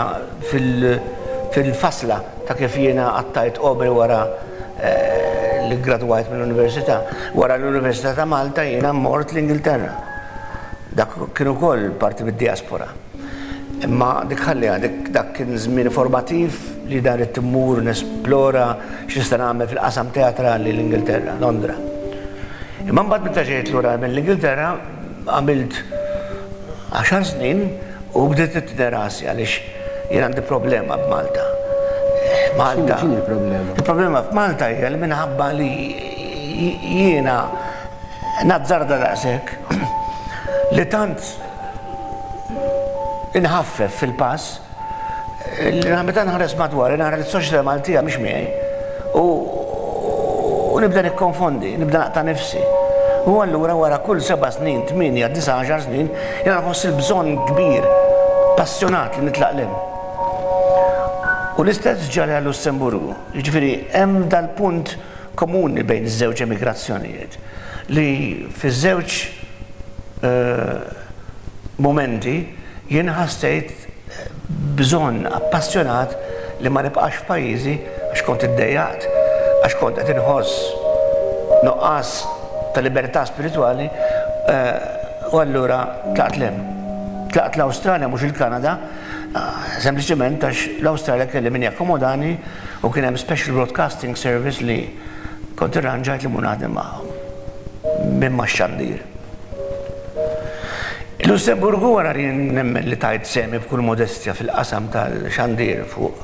fil-fasla ta' kif jiena qattajt għomri wara li ggradwajt mill-università. Wara l-Università ta' Malta jiena mort l-Ingilterra. Dak kien ukoll parti mid-diaspora. Imma dik ħalliha, dik dak kien żmien formattiv li dan ridt immur nesplora x'nista' nagħmel fil-qasam teatrali l-Ingilterra, Londra. Imma mbagħad meta ġejt lura mill-Ingilterra għamilt għaxar snin u bdiet titni rasi għaliex jien għandi problema b'Malta. Malta. X'inhi l-problema? Il-problema f'Malta hija li minħabba li jiena nazzarda daqshekk li tant inħaffef fil-pass li meta nħares madwari nara li s-soċjetà Maltija mhix miegħi u u nibda nikkonfondi, nibda naqta' nifsi. U allura wara kull seba' snin, tmienja, disa', għaxar snin, jiena nħoss il-bżonn kbir, passjonat li nitlaq 'l hemm. U l-istess ġara għal-Lussemburgu. Jiġifieri hemm dal-punt komuni bejn iż-żewġ emigrazzjonijiet li fiż-żewġ mumenti jien ħassejt bżonn appassjonat li ma nibqax f'pajjiżi għax kont iddejjaqt, għax kont qed inħoss nuqqas ta' libertà spiritwali u allura tlaqt 'l hemm. Tlaqt l-Awstralja mhux il-Kanada, sempliċement għax l-Awstralja kelli min jakkomodani u kien hemm Special Broadcasting Service li kont irranġajt li mmur naħdem magħhom minn max-xandir. Il-Lussemburgu wara li nemmen li tajt sehmi b'kull modestja fil-qasam tal-xandir fuq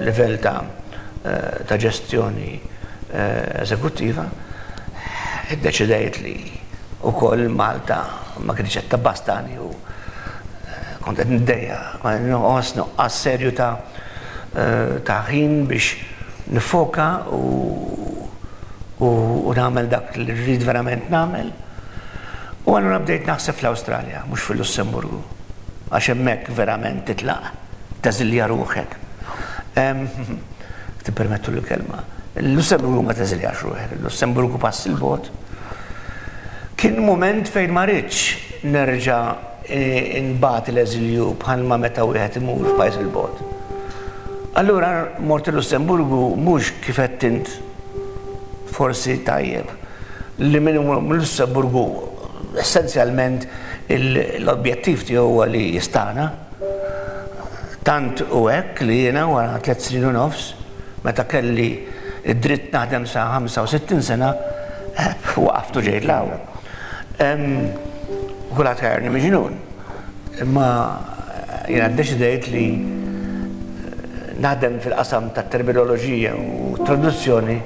livell ta' ta' ġestjoni eżekuttiva, iddeċidejt li wkoll Malta ma kinitx qed tabbastani u kont qed niddejjaq, kont qed inħoss nuqqas serju ta' ta' ħin biex niffoka u u nagħmel dak li rrid verament nagħmel. U allura bdejt naħseb fl-Awstralja, mhux fil-Lussemburgu, għax hemmhekk verament titlaq, teżilja ruħek. Tippermettu l-kelma. Il-Lussemburgu ma teżiljax ruħek, il-Lussemburgu pass 'il bogħod. Kien mument fejn ma ridtx nerġa' nbati l-eżilju bħalma meta wieħed imur f'pajjiż 'il bogħod. Allura mort il-Lussemburgu mhux kif għedt int forsi tajjeb li min imur mill-Lussemburgu essenzjalment l-objettiv tiegħu huwa li jistagħna. Tant hu hekk li jiena wara tliet snin u nofs meta kelli d-dritt naħdem sa 65 sena waqaft u ġejt 'l hawn. Kulħadd għajjarni miġnun. Imma jiena ddeċidejt li naħdem fil-qasam tat-terminoloġija u t-traduzzjoni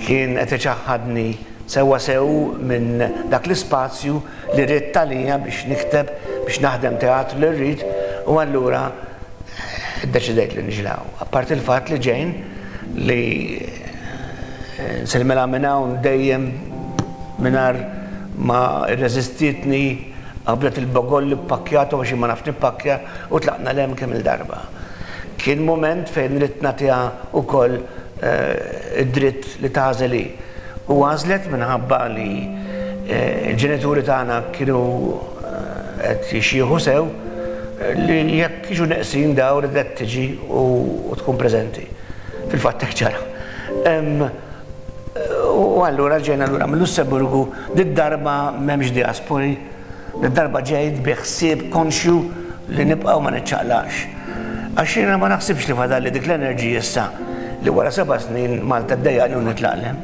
kien qed iċaħħadni sewwa sew minn dak l-ispazju li ridt għalija biex nikteb, biex naħdem teatru li rrid u allura ddeċidejt li niġi 'l hawn. Apparti l-fatt li Jane li nsellmilha minn hawn dejjem mingħajr ma rreżistietni qabdet il-bagolli ppakkjatu għax jien ma nafx nippakkja u tlaqna 'l hemm kemm-il darba. Kien mument fejn ridt nagħtiha wkoll id-dritt li tagħżel hi. U għażlet minħabba li l-ġenituri tagħna kienu qed jixjieħu sew li jekk jiġu neqsin dawn ridet tiġi u tkun preżenti. Fil-fatt hekk ġara. U allura ġejna lura mill-Lussemburgu, did-darba m'hemmx diaspori, did-darba ġejt bi ħsieb konxju li nibqa' u ma niċċaqlaqx. Għax jiena ma naħsibx li fadalli dik l-enerġija issa li wara seba' snin Malta ddejjaqni u nitlaq 'l hemm.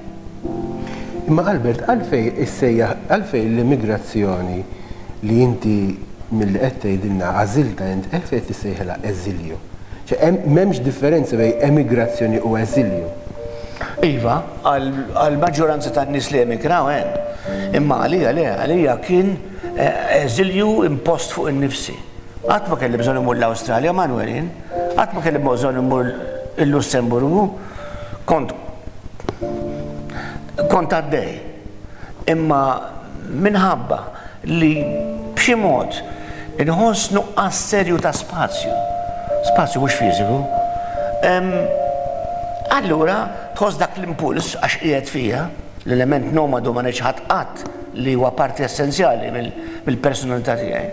Imma Albert, għalfejn issejjaħ, għalfejn l-immigrazzjoni li inti milli qed tgħidilna għażiltha int, għalfejn qed issejħilha eżilju? Ċe m'hemmx differenza bejn emigrazzjoni u eżilju. Iva, għall-maġġoranza tan-nies li emigraw għen. Imma għalija le, għalija kien eżilju impost fuq innifsi. Qatt ma kelli bżonn immur l-Awstralja, Manuel jien. Qatt ma kelli bżonn immur il-Lussemburgu. Kont kont għaddej. Imma minħabba li b'xi mod inħoss nuqqas serju ta' spazju, spazju mhux fiżiku, allura tħoss dak l-impuls għax qiegħed fija, l-element nomadu ma niċħad qatt li huwa parti essenzjali mill-personalità tiegħi.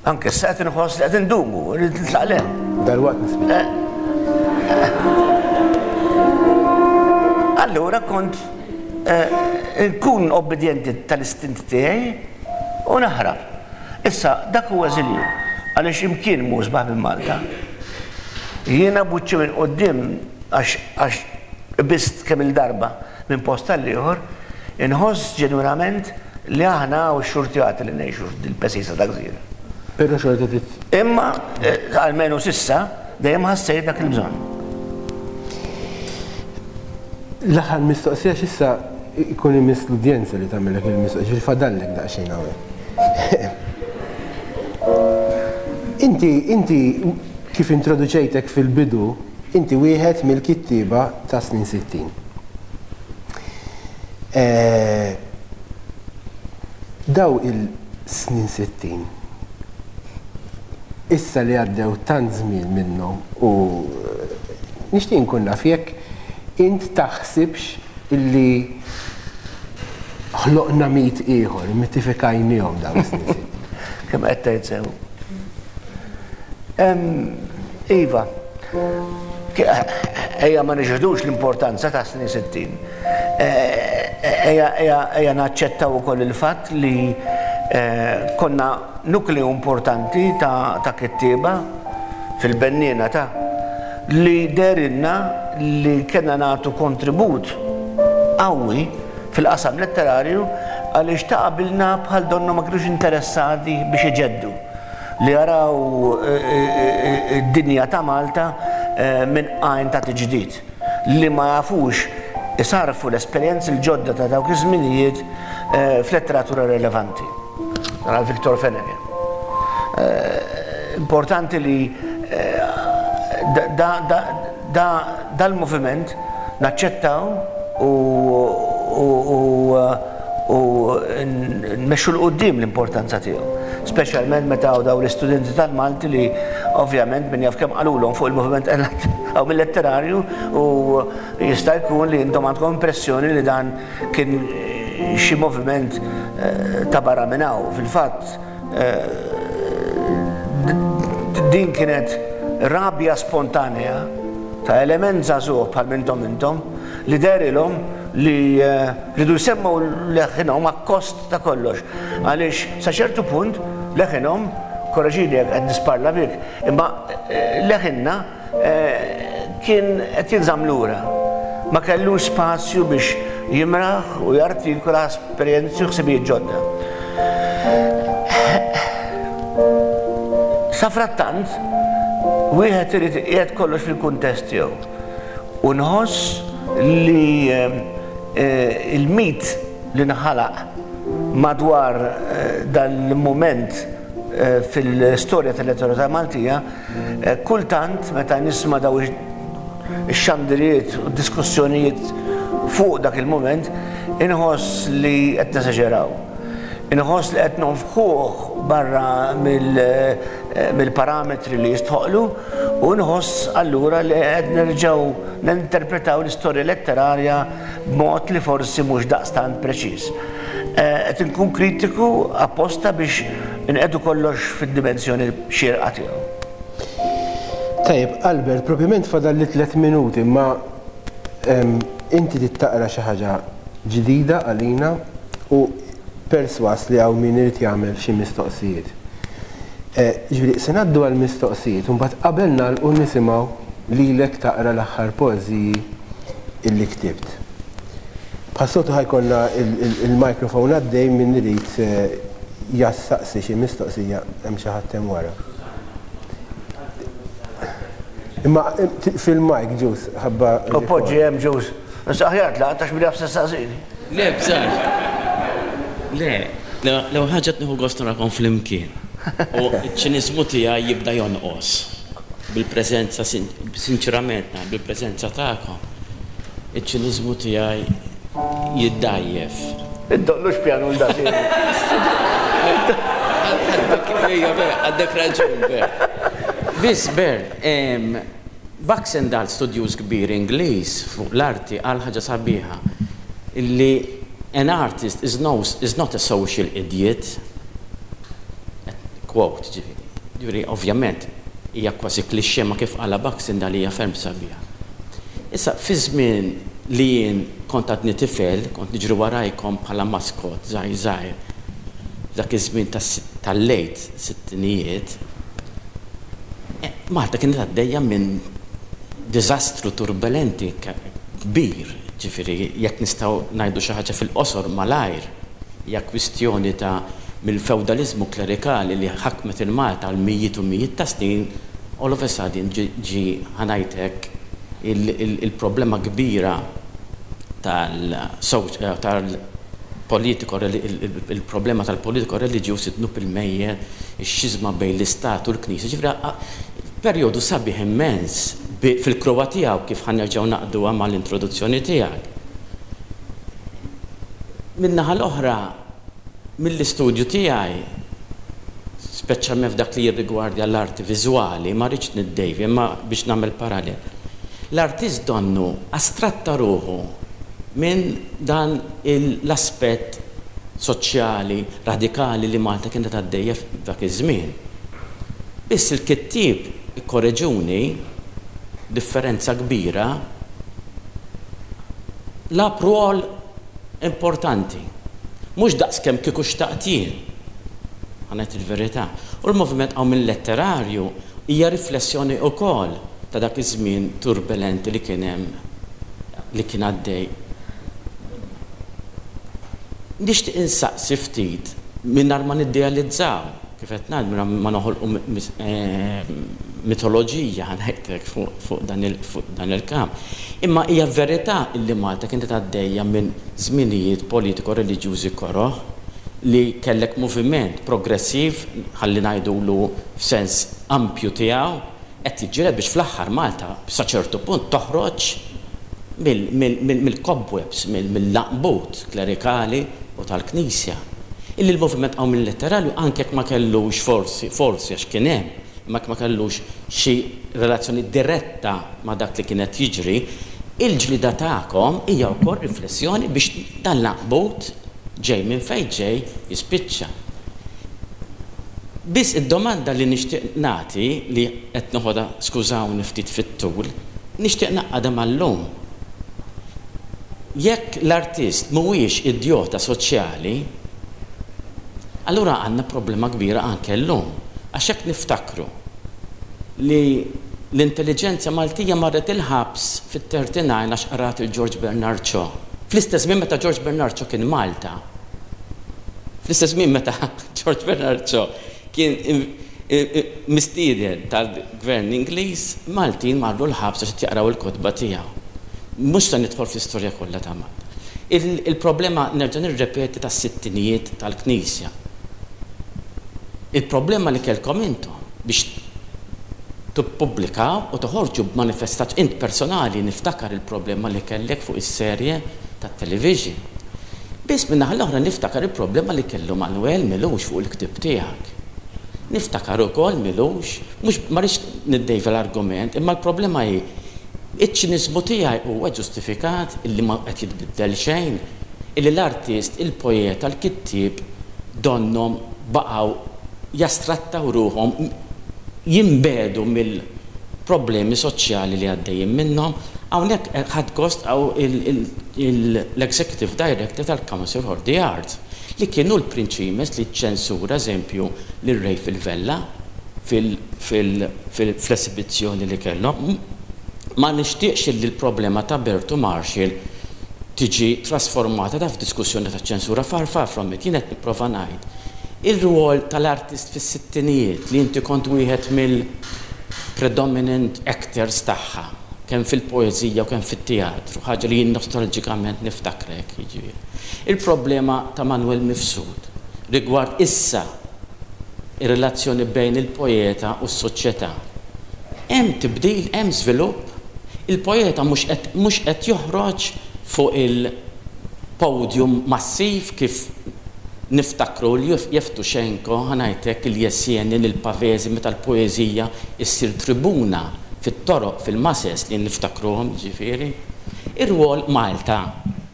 Anke issa qed inħoss li qed indumu, rrid nitlaq 'l hemm. Dalwaqt nispiċċa. Allura kont Inkun obbidjenti tal-istint tiegħi u naħrab. Issa, dak huwa eżilju, għaliex imkien mhu isbaħ minn Malta. Jiena b'wiċċi minn quddiem għax għax qbiżt kemm-il darba minn post għall-ieħor, inħoss ġenwinament li aħna hawn xxurtjati li ngħixu f'dil-pesisa ta' gżira. Però xorta trid. Imma, almenu s'issa, dejjem ħassejt dak il-bżonn. L-aħħar mistoqsija għax issa jkun imiss l-udjenza li tagħmellek il-mistoqsija, ġifieri fadallek daqsxejn hawnhekk. Inti, inti kif introduċejtek fil-bidu, inti wieħed mill-kittieba tas-snin 60. Daw il-snin 60, issa li għaddew tant żmien minnhom u nixtieq inkun naf jekk int taħsibx illi ħloqna mit ieħor, immitifikajniehom dawn is-snin 60. Kemm qed tgħid sew. Iva, ejja ma niġħdux l-importanza ta' snin 60. Ejja naċċettaw ukoll il-fatt li konna nukleu importanti ta' kittieba fil-benniena ta' li dehrilna li kellna nagħtu kontribut qawwi fil-qasam letterarju għaliex ta' qabilna bħal donnhom ma kinux interessati biex iġeddu, li jaraw id-dinja ta' Malta minn għajn ta' tiġdid. li ma jafux isarrfu l-esperjenzi l-ġodda ta' dawk iż-żminijiet f'letteratura relevanti. Dan għal Victor Fenech. Importanti li dal-moviment naċċettaw u u nmexxu 'l quddiem l-importanza tiegħu. Speċjalment meta hawn dawn l-istudenti tal-Malti li ovvjament min jaf kemm qalulhom fuq il-moviment hawn mil-letterarju u jista' jkun li intom għandkom impressjoni li dan kien xi moviment ta' barra minn hawn. Fil-fatt din kienet rabja spontanea ta' element żagħżugħ bħal m'intom intom li dehrilhom li Riedu jsemmgħu leħinhom akkost ta' kollox, għaliex sa ċertu punt leħinhom, korreġini jekk qed nisparla bik, imma leħinna kien qed jinżamm lura. Ma kellux spazju biex jimraħ u jartikula esperjenzi u ħsibijiet ġodda. Safrattant, wieħed irid iqiegħed kollox fil-kuntest tiegħu. U nħoss li il-mit li nħalaq madwar dan il-mument fil-istorja tal-letteratura Maltija, kultant meta nisma' dawn ix-xandiriet u d-diskussjonijiet fuq dak il-mument, inħoss li qed nesaġeraw. Inħoss li qed nonfħuh barra mill-parametri li jistħoqqlu u nħoss allura li qed nerġgħu ninterpretaw l-istorja letterarja b'mod li forsi mhux daqstant preċiż. Qed inkun kritiku apposta biex inqiegħdu kollox fid-dimensjoni xierqa tiegħu. Tajjeb, Albert, propjament fadalli tlett minuti imma inti trid taqra xi ħaġa ġdida għalina u persważ li hawn min irid jagħmel xi mistoqsijiet. Jiġifieri se ngħaddu għall-mistoqsijiet u mbagħad qabel nagħlqu nisimgħu lilek taqra l-aħħar poeżiji illi ktibt. Bħas-soltu ħa jkollna il-microphone għaddej min irid jastaqsi xi mistoqsija hemm xi ħadd hemm wara. Imma fil-mic, Ġus, ħabba. U poġġi hemm, Ġus. Issa aħjar tlaqt għax min jaf se ssaqsini. Le, bżax. Le, l-ewwel ħaġa qed nieħu gost narakom flimkien. U ċ-ċiniżmu tiegħi jibda jonqos bil-preżenza, sinċerament ngħid, bil-preżenza tagħkom. Iċ-ċiniżmu tiegħi jiddgħajjef. Iddoqqlux pjanu 'l da sieħbi. Għandek raġun, Bert. Biss, Bert, Baxendale, studjuż kbir Ingliż fuq l-arti, qal ħaġa sabiħa, illi an artist is no, is not a social idiot. Quote, ġifieri. Ġifieri, ovvjament, hija kważi cliché ma kif qalha Baxendale hija ferm sabiħa. Issa, fi żmien li jien kont għadni tifel, kont niġri warajkom bħala mascot żgħir żgħir, f'dak iż-żmien tal-late sittinijiet, Malta kienet għaddejja minn diżastru turbulenti kbir, ġifieri jekk nistgħu ngħidu xi ħaġa fil-qosor malajr, hija kwistjoni ta' mill-fewdaliżmu klerikali li ħakmet 'il Malta għal mijiet u mijiet ta' snin, all of a sudden ġie, ħa ngħid hekk, il-problema kbira tal-politiko, il-problema tal-politiko reliġjuż, id-dnub il-mejjet, ix-xiżma bejn l-Istat u l-Knisja, ġifieri perjodu sabiħ immens fil-kruha tiegħu kif ħa nerġgħu ngħaqqduha mal-introduzzjoni tiegħek. Min-naħa l-oħra, mill-istudju tiegħi, speċjalment f'dak li jirrigwardja l-arti viżwali, ma rridx niddejvja imma biex nagħmel parallel, l-artist donnu astratta ruħu minn dan l-aspett soċjali radikali li Malta kienet għaddejja f'dak iż-żmien. Biss il-kittieb, ikkoreġuni, b'differenza kbira, lagħab rwol importanti. Mhux daqs kemm kieku xtaqt jien. Ħa ngħid il-verità. U l-moviment qawmien letterarju hija riflessjoni wkoll ta' dak iż-żmien turbulenti li kien hemm li kien għaddej. Nixtieq insaqsi ftit mingħajr ma niddealizzaw, kif qed ngħid, mingħajr ma noħolqu mitoloġija, ħa ngħid hekk, fuq dan il-kamp. Imma hija verità li Malta kienet għaddejja minn żminijiet politiko-reliġjużi koroh li kellek moviment progressiv, ħalli ngħidulu f'sens ampju tiegħu, qed jiġġieled biex fl-aħħar Malta sa ċertu punt toħroġ mill-cobwebs, mill-laqbut klerikali u tal-Knisja. Illi l-moviment qawmien letterarju anke jekk ma kellux forsi, forsi għax kien hemm, imma jekk ma kellux xi relazzjoni diretta ma' dak li kien qed jiġri, il-ġlieda tagħkom hija wkoll riflessjoni biex dan l-għanqbut ġej minn fejn ġej jispiċċa. Biss id-domanda li nixtieq nagħti, li qed noħodha skużawni ftit fit-tul, nixtieq ngħaqqadha mal-lum. Jekk l-artist mhuwiex idjota soċjali, allura għandna problema kbira anke llum. Għax jekk niftakru li l-intelliġenza Maltija marret il-ħabs fit-39 għax qrat il George Bernard Shaw. Fl-istess żmien meta George Bernard Shaw kien Malta. Fl-istess żmien meta George Bernard Shaw kien mistieden tal-Gvern Ingliż, Maltin marru l-ħabs għax qed jaqraw il-kotba tiegħu. Mhux se nidħol fl-istorja kollha ta' Malta. Il-problema, nerġa' nirrepeti, tas-sittinijiet tal-Knisja. Il-problema li kellkom intom biex tippubblikaw u toħorġu b'manifestazzjoni, int personali niftakar il-problema li kellek fuq is-serje tat-television. Biss min-naħa l-oħra niftakar il-problema li kellu Manuel Milux fuq il-ktieb tiegħek. Niftakar ukoll Milux, mhux ma rridx niddejva l-argument, imma l-problema hi, iċ-ċiniżmu tiegħi huwa ġustifikat illi ma qed jitbiddel xejn, illi l-artist, il-poeta, l-kittieb donnhom baqgħu jastrattaw ruħhom, jinbiegħdu mill problemi soċjali li għaddejjin minnhom. Hawnhekk ħadt gost hawn l-Executive Director tal-Council for the Arts li kien hu l-prinċimes li ċċensura eżempju lil Ray Fil-Vella fl-esibizzjoni li kellhom. Ma nixtieqx illi l-problema ta' Bertu Marshall tiġi trasformata ta' f'diskussjoni ta' ċensura, far far from it. Jien qed nipprova ngħid ir-rwol tal-artist fis-sittinijiet li inti kont wieħed mill predominant actors tagħha, kemm fil-poeżija u kemm fit-teatru, ħaġa li jien nostalġikament niftakrek, jiġifieri. Il-problema ta' Manwel Mifsud rigward issa ir-relazzjoni bejn il-poeta u s-soċjetà. Hemm tibdil, hemm żvilupp, il-poeta mhux qed mhux qed joħroġ fuq il-podium massiv kif niftakru l-Yevtushenko, ħa ngħid hekk, il-Yesenin, il-Pavesi meta l-poeżija ssir tribuna fit-toroq, fil-mases li niftakruhom jiġifieri. Ir-rwol Malta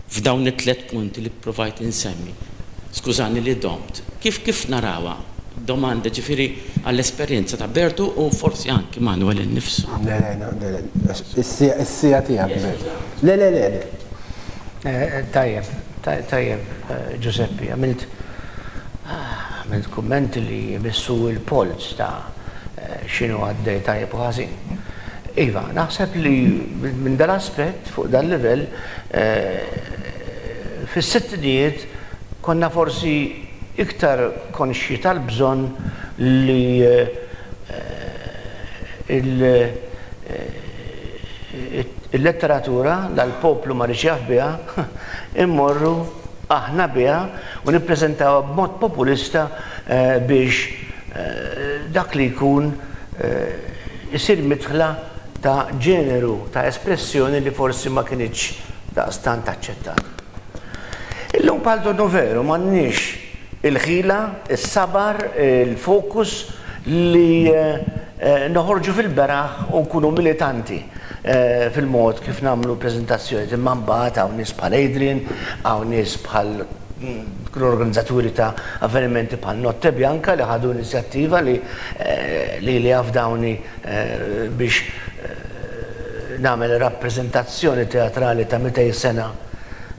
f'dawn it-tlett punti li ppruvajt insemmi. Skużani li domt. Kif kif narawha? Domanda ġifieri għall-esperjenza ta' Bertu u forsi anki Manuel innifsu. Le, le, le, le, is-siegħa tiegħek, Bertu. Le, le, le, le. Tajjeb, tajjeb, Ġużeppi, għamilt għamilt kummenti li jmissu l-polz ta' x'inhu għaddej tajjeb u ħażin. Iva, naħseb li minn dal-aspett, fuq dal-livell, fis-sittinijiet konna forsi iktar konxji tal-bżonn li il-letteratura, la l-poplu ma riedx jaf biha, immorru aħna biha u nippreżentawha b'mod populista biex dak li jkun isir midħla ta' ġeneru ta' espressjoni li forsi ma kinitx daqstant aċċettata. Illum bħal donnu veru m'għandniex il-ħila, is-sabar, il-fokus li noħorġu fil-beraħ u nkunu militanti fil-mod kif nagħmlu preżentazzjonijiet. Imma mbagħad hawn nies bħal Adrian, hawn nies bħal l-organizzaturi ta' avvenimenti bħal Notte Bianca li ħadu inizjattiva li lili afdawni biex nagħmel rappreżentazzjoni teatrali ta' 200 sena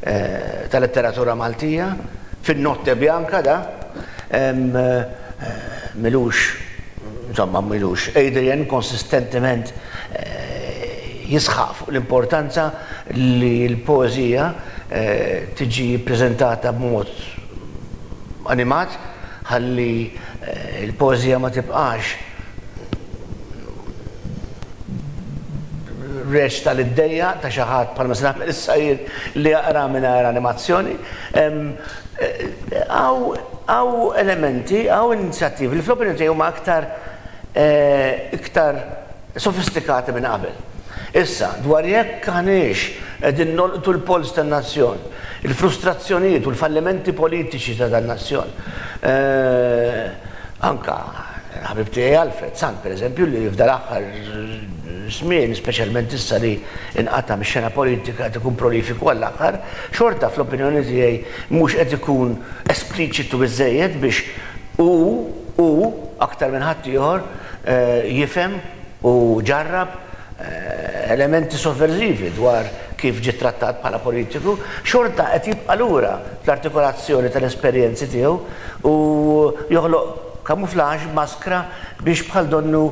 ta' letteratura Maltija fin-Notte Bianca da m'ilux insomma m'ilux Adrian konsistentement jisħaq fuq l-importanza li l-poeżija tiġi ppreżentata b'mod animat ħalli l-poeżija ma tibqax reċta li ddejjaq ta' xi ħadd bħalma se nagħmel issa jien li jaqra mingħajr animazzjoni. Hawn elementi, hawn inizjattivi li fl-opinjoni tiegħi huma aktar iktar sofistikati minn qabel. Issa, dwar jekk aħniex qegħdin nolqtu l-polz tan-nazzjon, il-frustrazzjonijiet u l-fallimenti politiċi ta' dan-nazzjon, anke l-ħabib tiegħi Alfred Sant, pereżempju, li f'dal-aħħar żmien, speċjalment issa li nqata' mix-xena politika qed ikun prolifiku għall-aħħar, xorta fl-opinjoni tiegħi mhux qed ikun espliċitu biżżejjed biex hu, hu, aktar minn ħaddieħor, jifhem u ġarrab elementi sovversivi dwar kif ġie trattat bħala politiku, xorta qed jibqa' lura fl-artikolazzjoni tal-esperjenzi tiegħu u joħloq kamuflaġġ, maskra biex bħal donnu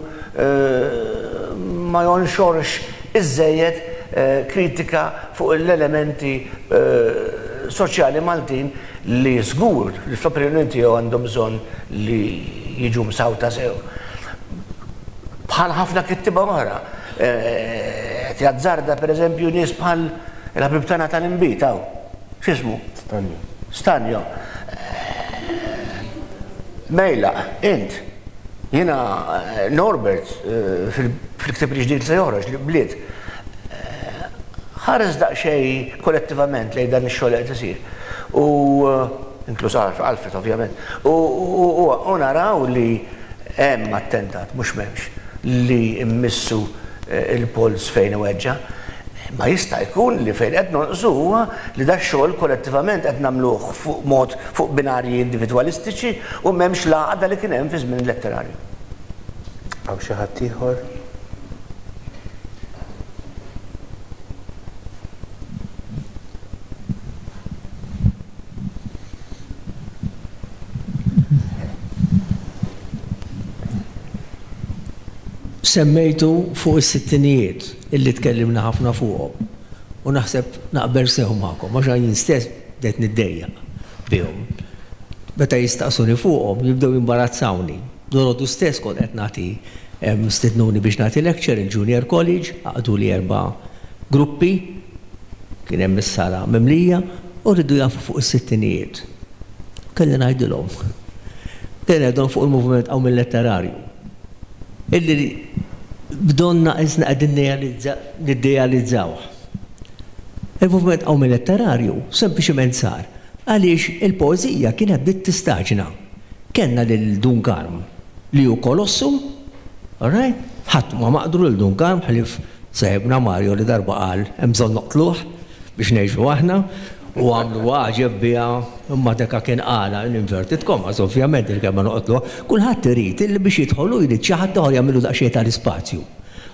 ma jonxorx iżżejjed kritika fuq l-elementi soċjali Maltin li żgur li fl-opinjoni tiegħu għandhom bżonn li jiġu msawta sew. Bħal ħafna kittieba oħra, qed jazzarda pereżempju nies bħal il-ħabib tagħna tal-inbid hawn. X'ismu? Stanjo. Stanjo. Mejlaq, int. Jiena Norbert fil-ktieb il-ġdid li se joħroġ, L-Bliet, ħares daqsxejn kollettivament lejn dan ix-xogħol li qed isir. U inkluż Alfred ovvjament. U naraw li hemm attentat, mhux m'hemmx, li mmissu l-polz fejn iweġġa'. Imma jista' jkun li fejn qed nonqsu huwa li dax-xogħol kollettivament qed nagħmluh fuq mod fuq binarji individwalistiċi u m'hemmx l-għaqda li kien hemm fi żmien il-letterarju. Hawn xi ħadd ieħor? Semmejtu fuq is-sittinijiet illi tkellimna ħafna fuqhom u naħseb naqbel sew magħkom għax jien stess bdejt niddejjaq bihom. Meta jistaqsuni fuqhom jibdew jimbarazzawni. Dalgħodu stess kont qed nagħti. Stednuni biex nagħti lecture il-Junior College, għaqduli erba' gruppi, kien hemm is-sala mimlija, u riedu jafu fuq is-sittinijiet. Kelli ngħidilhom. Kelli ngħidilhom fuq il-moviment qawmien letterarju. Illi b'donna qisna qegħdin niddealizzawh. Il-moviment qawmien letterarju sempliċement sar għaliex il-poeżija kienet bdiet tistaġna. Kellna lil Dun Karm li hu kolossu, all right? Ħadd ma maqdru lil Dun Karm ħlief seħibna Mario li darba qal hemm bżonn noqtluh biex ngħixu aħna u għamlu għaġeb biha imma deka kien qalha in inverted commas ovvjament il-kelma noqtluh. Kulħadd irid illi biex jidħol hu jrid xi ħadd ieħor jagħmillu daqsxejn tal-ispazju.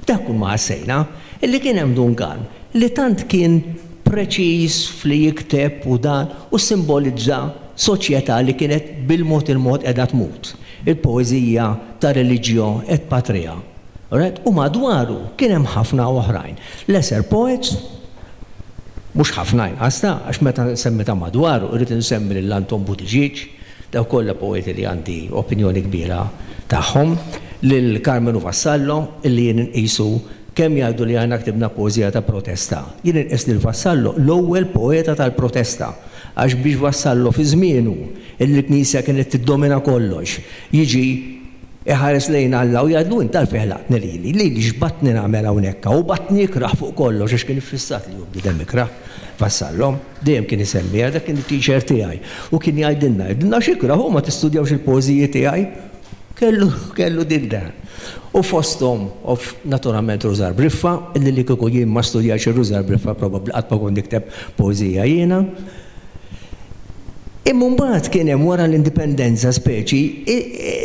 Dak kull ma ħassejna, illi kien hemm Dun Karm li tant kien preċiż f'li jikteb u dan u ssimbolizza soċjetà li kienet bil-mod il-mod qiegħda tmut, il-poeżija ta' Religio et Patria. Alright? U madwaru kien hemm ħafna oħrajn. Lesser poets, mhux ħafna inqas ta' għax meta nsemmi ta' madwaru rrid insemmi lil Anton Buttigieg, dawk kollha poeti li għandi opinjoni kbira tagħhom, lil Karmenu Vassallo illi jien inqisu kemm jgħidu li aħna ktibna poeżija ta' protesta. Jien inqis lil Vassallo l-ewwel poeta tal-protesta għax biex Vassallo fi żmienu illi l-Knisja kienet tiddomina kollox jiġi Iħares lejn Alla u jgħidlu, Int għalfejn ħlaqtni lili? Lili x'batni nagħmel hawnhekk hawn? U batni ikrah fuq kollox għax kien iffissat li hu bniedem ikrah. Vassallo. Dejjem kien isemmiha, dak kien it-teacher tiegħi. U kien jgħidilna, jgħidilna għax ikrah hu ma tistudjawx il-poeżiji tiegħi. Kellu, kellu din dan. U fosthom, of, naturalment Rużar Briffa, illi li kieku jien ma studjajtx ir-Rużar Briffa probabbli qatt ma kont nikteb poeżija jiena. Imma mbagħad kien hemm wara l-Indipendenza speċi,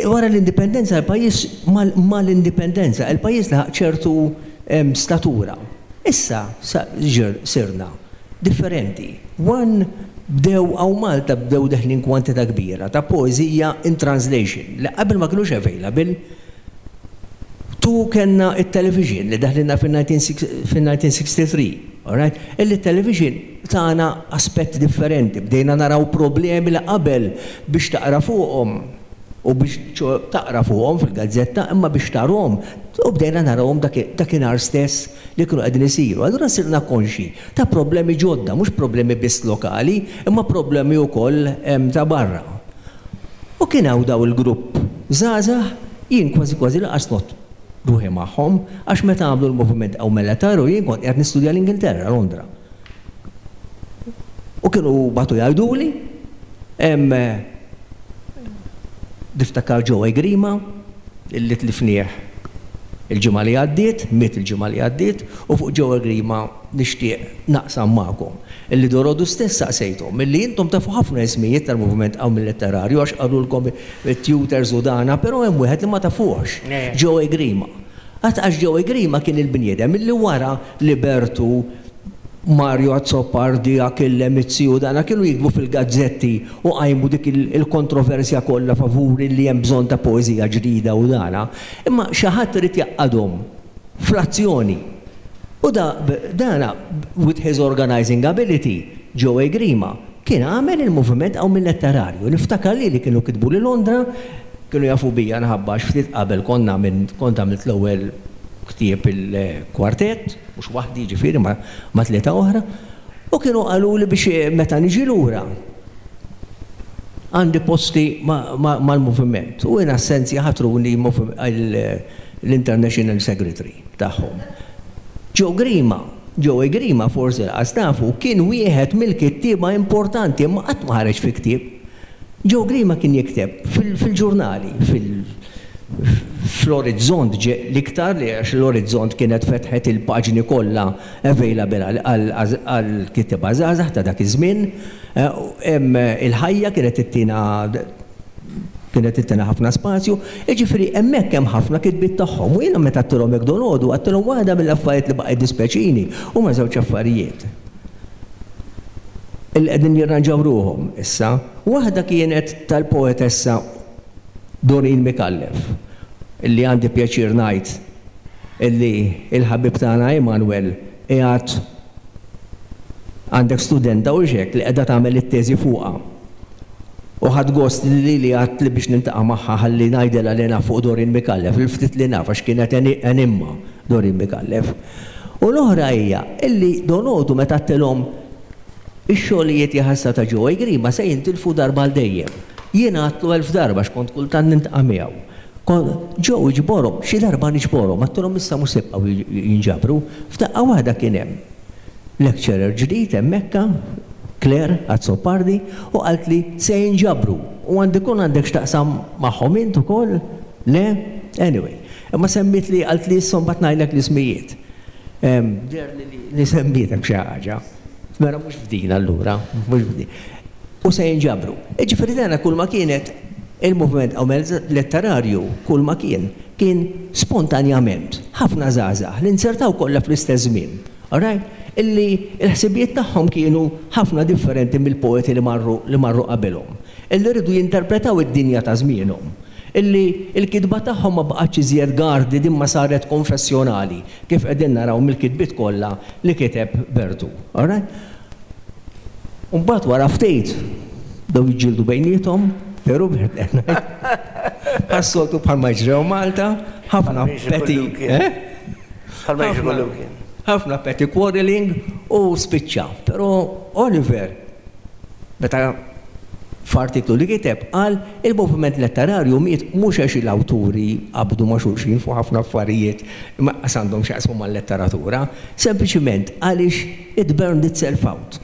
wara l-Indipendenza l-pajjiż mal-Indipendenza il-pajjiż laħaq ċertu statura. Issa sirna differenti. One bdew hawn Malta bdew deħlin kwantità kbira ta' poeżija in translation li qabel ma kinux available. Tu kellna t-television li daħlilna fin-1963, all right? Illi t-television tana aspett differenti, bdejna naraw problemi li qabel biex taqra fuqhom u biex taqra fuqhom fil-gazzetta imma biex tarhom u bdejna narawhom dakinhar stess li kienu qegħdin isiru. Allura sirna konxji ta' problemi ġodda, mhux problemi biss lokali imma problemi wkoll ta' barra. U kien hawn daw il-grupp żgħażagħ, jien kważi kważi lanqas ngħodd ruħi magħhom, għax meta għamlu l-moviment Eumelettaru jien kont qiegħed nistudja l-Ingilterra, Londra. U kienu bagħtu jgħiduli, hemm niftakar Joey Grima, illi tlifnieh il-ġimgħa li għaddiet, miet il-ġimgħa li għaddiet, u fuq Joey Grima nixtieq naqsam magħkom illi dorodu stess saqsejthom illi intom tafu ħafna ismijiet tal-moviment qawmi letterarju għax qalulkom it-tutors u dana però hemm wieħed li ma tafuhx, Joey Grima. Għad għax Joey Grima kien il-bniedem illi wara li Bertu, Mario Azzopardi, Achille Mizzi u dana kienu jiktbu fil-gazzetti u qajmu dik il-kontroversja kollha favur illi hemm bżonn ta' poeżija ġdida u dana, imma xi ħadd irid jgħaqqadhom fl-azzjoni. U da, dana, with his organizing ability, Joey Grima, kien għamel il-moviment qawmien letterarju. Niftakar lili kienu kitbuli Londra, kienu jafu bija nħabba għax ftit qabel konna għamilt, kont għamilt l-ewwel ktieb il-kwartett, mhux waħdi jiġifieri ma' ma' tlieta oħra, u kienu qaluli biex meta niġi lura għandi posti ma' ma' mal-moviment. U in assenzja ħatruni l-International Secretary tagħhom. Joe Grima, Joey Grima forsi lanqas tafu, kien wieħed mill-kittieba importanti imma qatt ma ħareġ fi ktieb. Joe Grima kien jikteb fil-ġurnali, fl-Orizzont l-iktar li għax l-Orizzont kienet fetħet il-paġni kollha available għall-kittieba żgħażagħ ta' dak iż-żmien. Il-Ħajja kienet ittina Kienet ittina ħafna spazju, jiġifieri hemmhekk hemm ħafna kitbiet tagħhom u jiena meta għedtilhom hekk dolgħodu għedtilhom waħda mill-affarijiet li baqa' jiddispjaċini huma żewġ affarijiet illi qegħdin jirranġaw ruħhom issa. Waħda kienet tal-poetessa Doreen Micallef illi għandi pjaċir ngħid illi l-ħabib tagħna Emanuel qiegħed għandek studenta hux hekk li qiegħda tagħmel it-teżi fuqha. U ħadt gost li lili għadtli biex niltaqa' magħha ħalli ngħidilha li naf fuq Doreen Micallef, il-ftit li naf għax kienet enimma Doreen Micallef. U l-oħra hija illi Donodu meta għadtilhom ix-xogħlijiet jaħasra ta' Joey Grima se jintilfu darba għal dejjem. Jien għadtlu elf darba għax kont kultant niltaqa' miegħu. Kont, Joe iġborhom, xi darba niġborhom, għadtilhom issa mhux se jibqgħu jinġabru. F'daqqa waħda kien hemm lecturer ġdid hemmhekka, Claire Azzopardi, u qaltli se jinġabru u għandi jkun għandek x'taqsam magħhom int ukoll? Le? Anyway. Imma semmietli, qaltli issa mbagħad ngħidlek l-ismijiet. Deherli li semmietek xi ħaġa. Mela mhux f'din allura, mhux f'din. U se jinġabru. Jiġifieri dana kulma kienet il-moviment letterarju kulma kien, kien spontanjament ħafna żgħażagħ li nzertaw kollha fl-istess żmien. All right? Illi l-ħsibijiet tagħhom kienu ħafna differenti mill-poeti li marru li marru qabilhom. Illi riedu jinterpretaw id-dinja ta' żmienhom. Illi l-kitba tagħhom ma baqgħetx iżjed guarded imma saret konfessjonali, kif qegħdin naraw mill-kitbiet kollha li kiteb Bertu. All right? U mbagħad wara ftit bdew jiġġieldu bejniethom, veru Bert qed ngħid? Bħas-soltu bħalma jiġri hawn Malta, ħafna petty, eh? Bħalma jiġri kullimkien. Ħafna petty quarreling u spiċċa. Però Oliver, meta f'artiklu li kiteb qal il-moviment letterarju miet mhux għax l-awturi qabdu ma' xulxin fuq ħafna affarijiet li ma qas għandhom x'jaqsmu mal-letteratura, sempliċiment għaliex it burned itself out.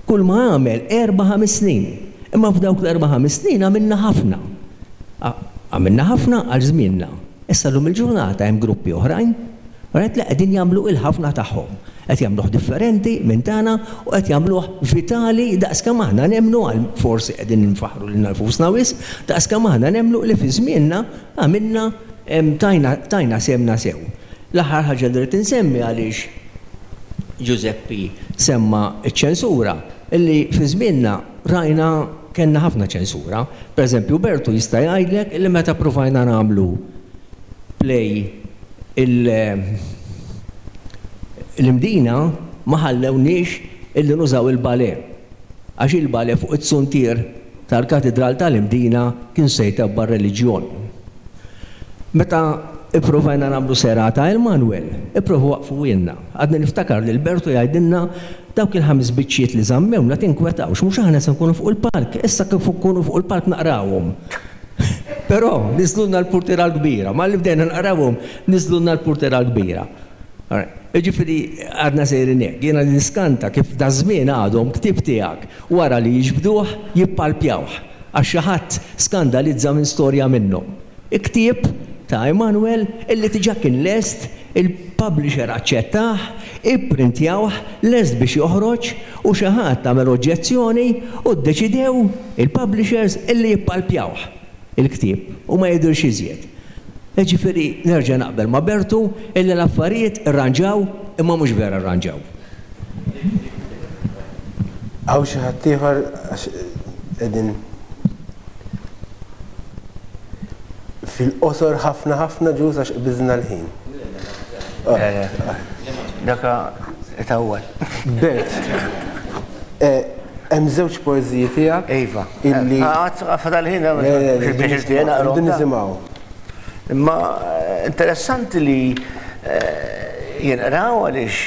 Kull ma għamel erba' ħames snin. Imma f'dawk l-erba' ħames snin għamilna ħafna. Għamilna ħafna għal żmienna. Issa llum il-ġurnata hemm gruppi oħrajn, right, li qegħdin jagħmlu il-ħafna tagħhom. Qed jagħmluh differenti minn tagħna u qed jagħmluh vitali daqskemm aħna nemmnu għal forsi qegħdin infaħħru lilna nfusna wisq, daqskemm aħna nemmnu li fi żmienna għamilna tajna tajna sehemna sew. L-aħħar ħaġa li rrid insemmi għaliex Ġużeppi semma ċ-ċensura, illi fi żmienna rajna kellna ħafna ċensura. Per eżempju, Bertu jista' jgħidlek illi meta ppruvajna nagħmlu play il l-Imdina ma ħallewniex illi nużaw il-ballet għax il-ballet fuq it-suntier tal-Katidral tal-Imdina kien se jtebba' r-reliġjon. Meta ippruvajna nagħmlu serata Emanuel, ippruvaw waqqfuhielna. Għadni niftakar lil Bertu jgħidilna, Dawk il-ħames biċċiet li żammewna tinkwetawx, mhux aħna se nkunu fuq il-palk, issa kif nkunu fuq il-palk naqrawhom. Però niżlulna l-purtiera l-kbira, malli bdejna naqrawhom niżlulna l-purtiera l-kbira. Jiġifieri għadna sejrin hekk. Jiena niskanta kif daż-żmien għadhom ktieb tiegħek wara li jiġbduh jippalpjawh għax xi ħadd skandalizza minn storja minnhom. Ktieb ta' Emanuel illi diġà kien lest, il-publisher aċċettah, ipprintjawh, lest biex joħroġ u xi ħadd għamel oġġezzjoni u ddeċidew il-publishers illi jippalpjawh il-ktieb u ma jidhirx iżjed. Jiġifieri nerġa' naqbel ma' Bertu illi l-affarijiet irranġaw imma mhux vera rranġaw. Hawn xi ħadd ieħor għax qegħdin fil-qosor ħafna ħafna ġuż għax qbiżna l-ħin. Daka itawwal. Bert, eh, hemm żewġ poeżiji tiegħek. Iva. Illi. Fadal ħin biex naqra. Nisimgħu. Imma eh, interessanti li eh, jinqraw għaliex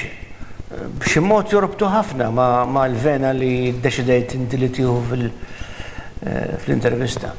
b'xi mod jorbtu ħafna ma' l-vena li ddeċidejt inti li tieħu fil-intervista.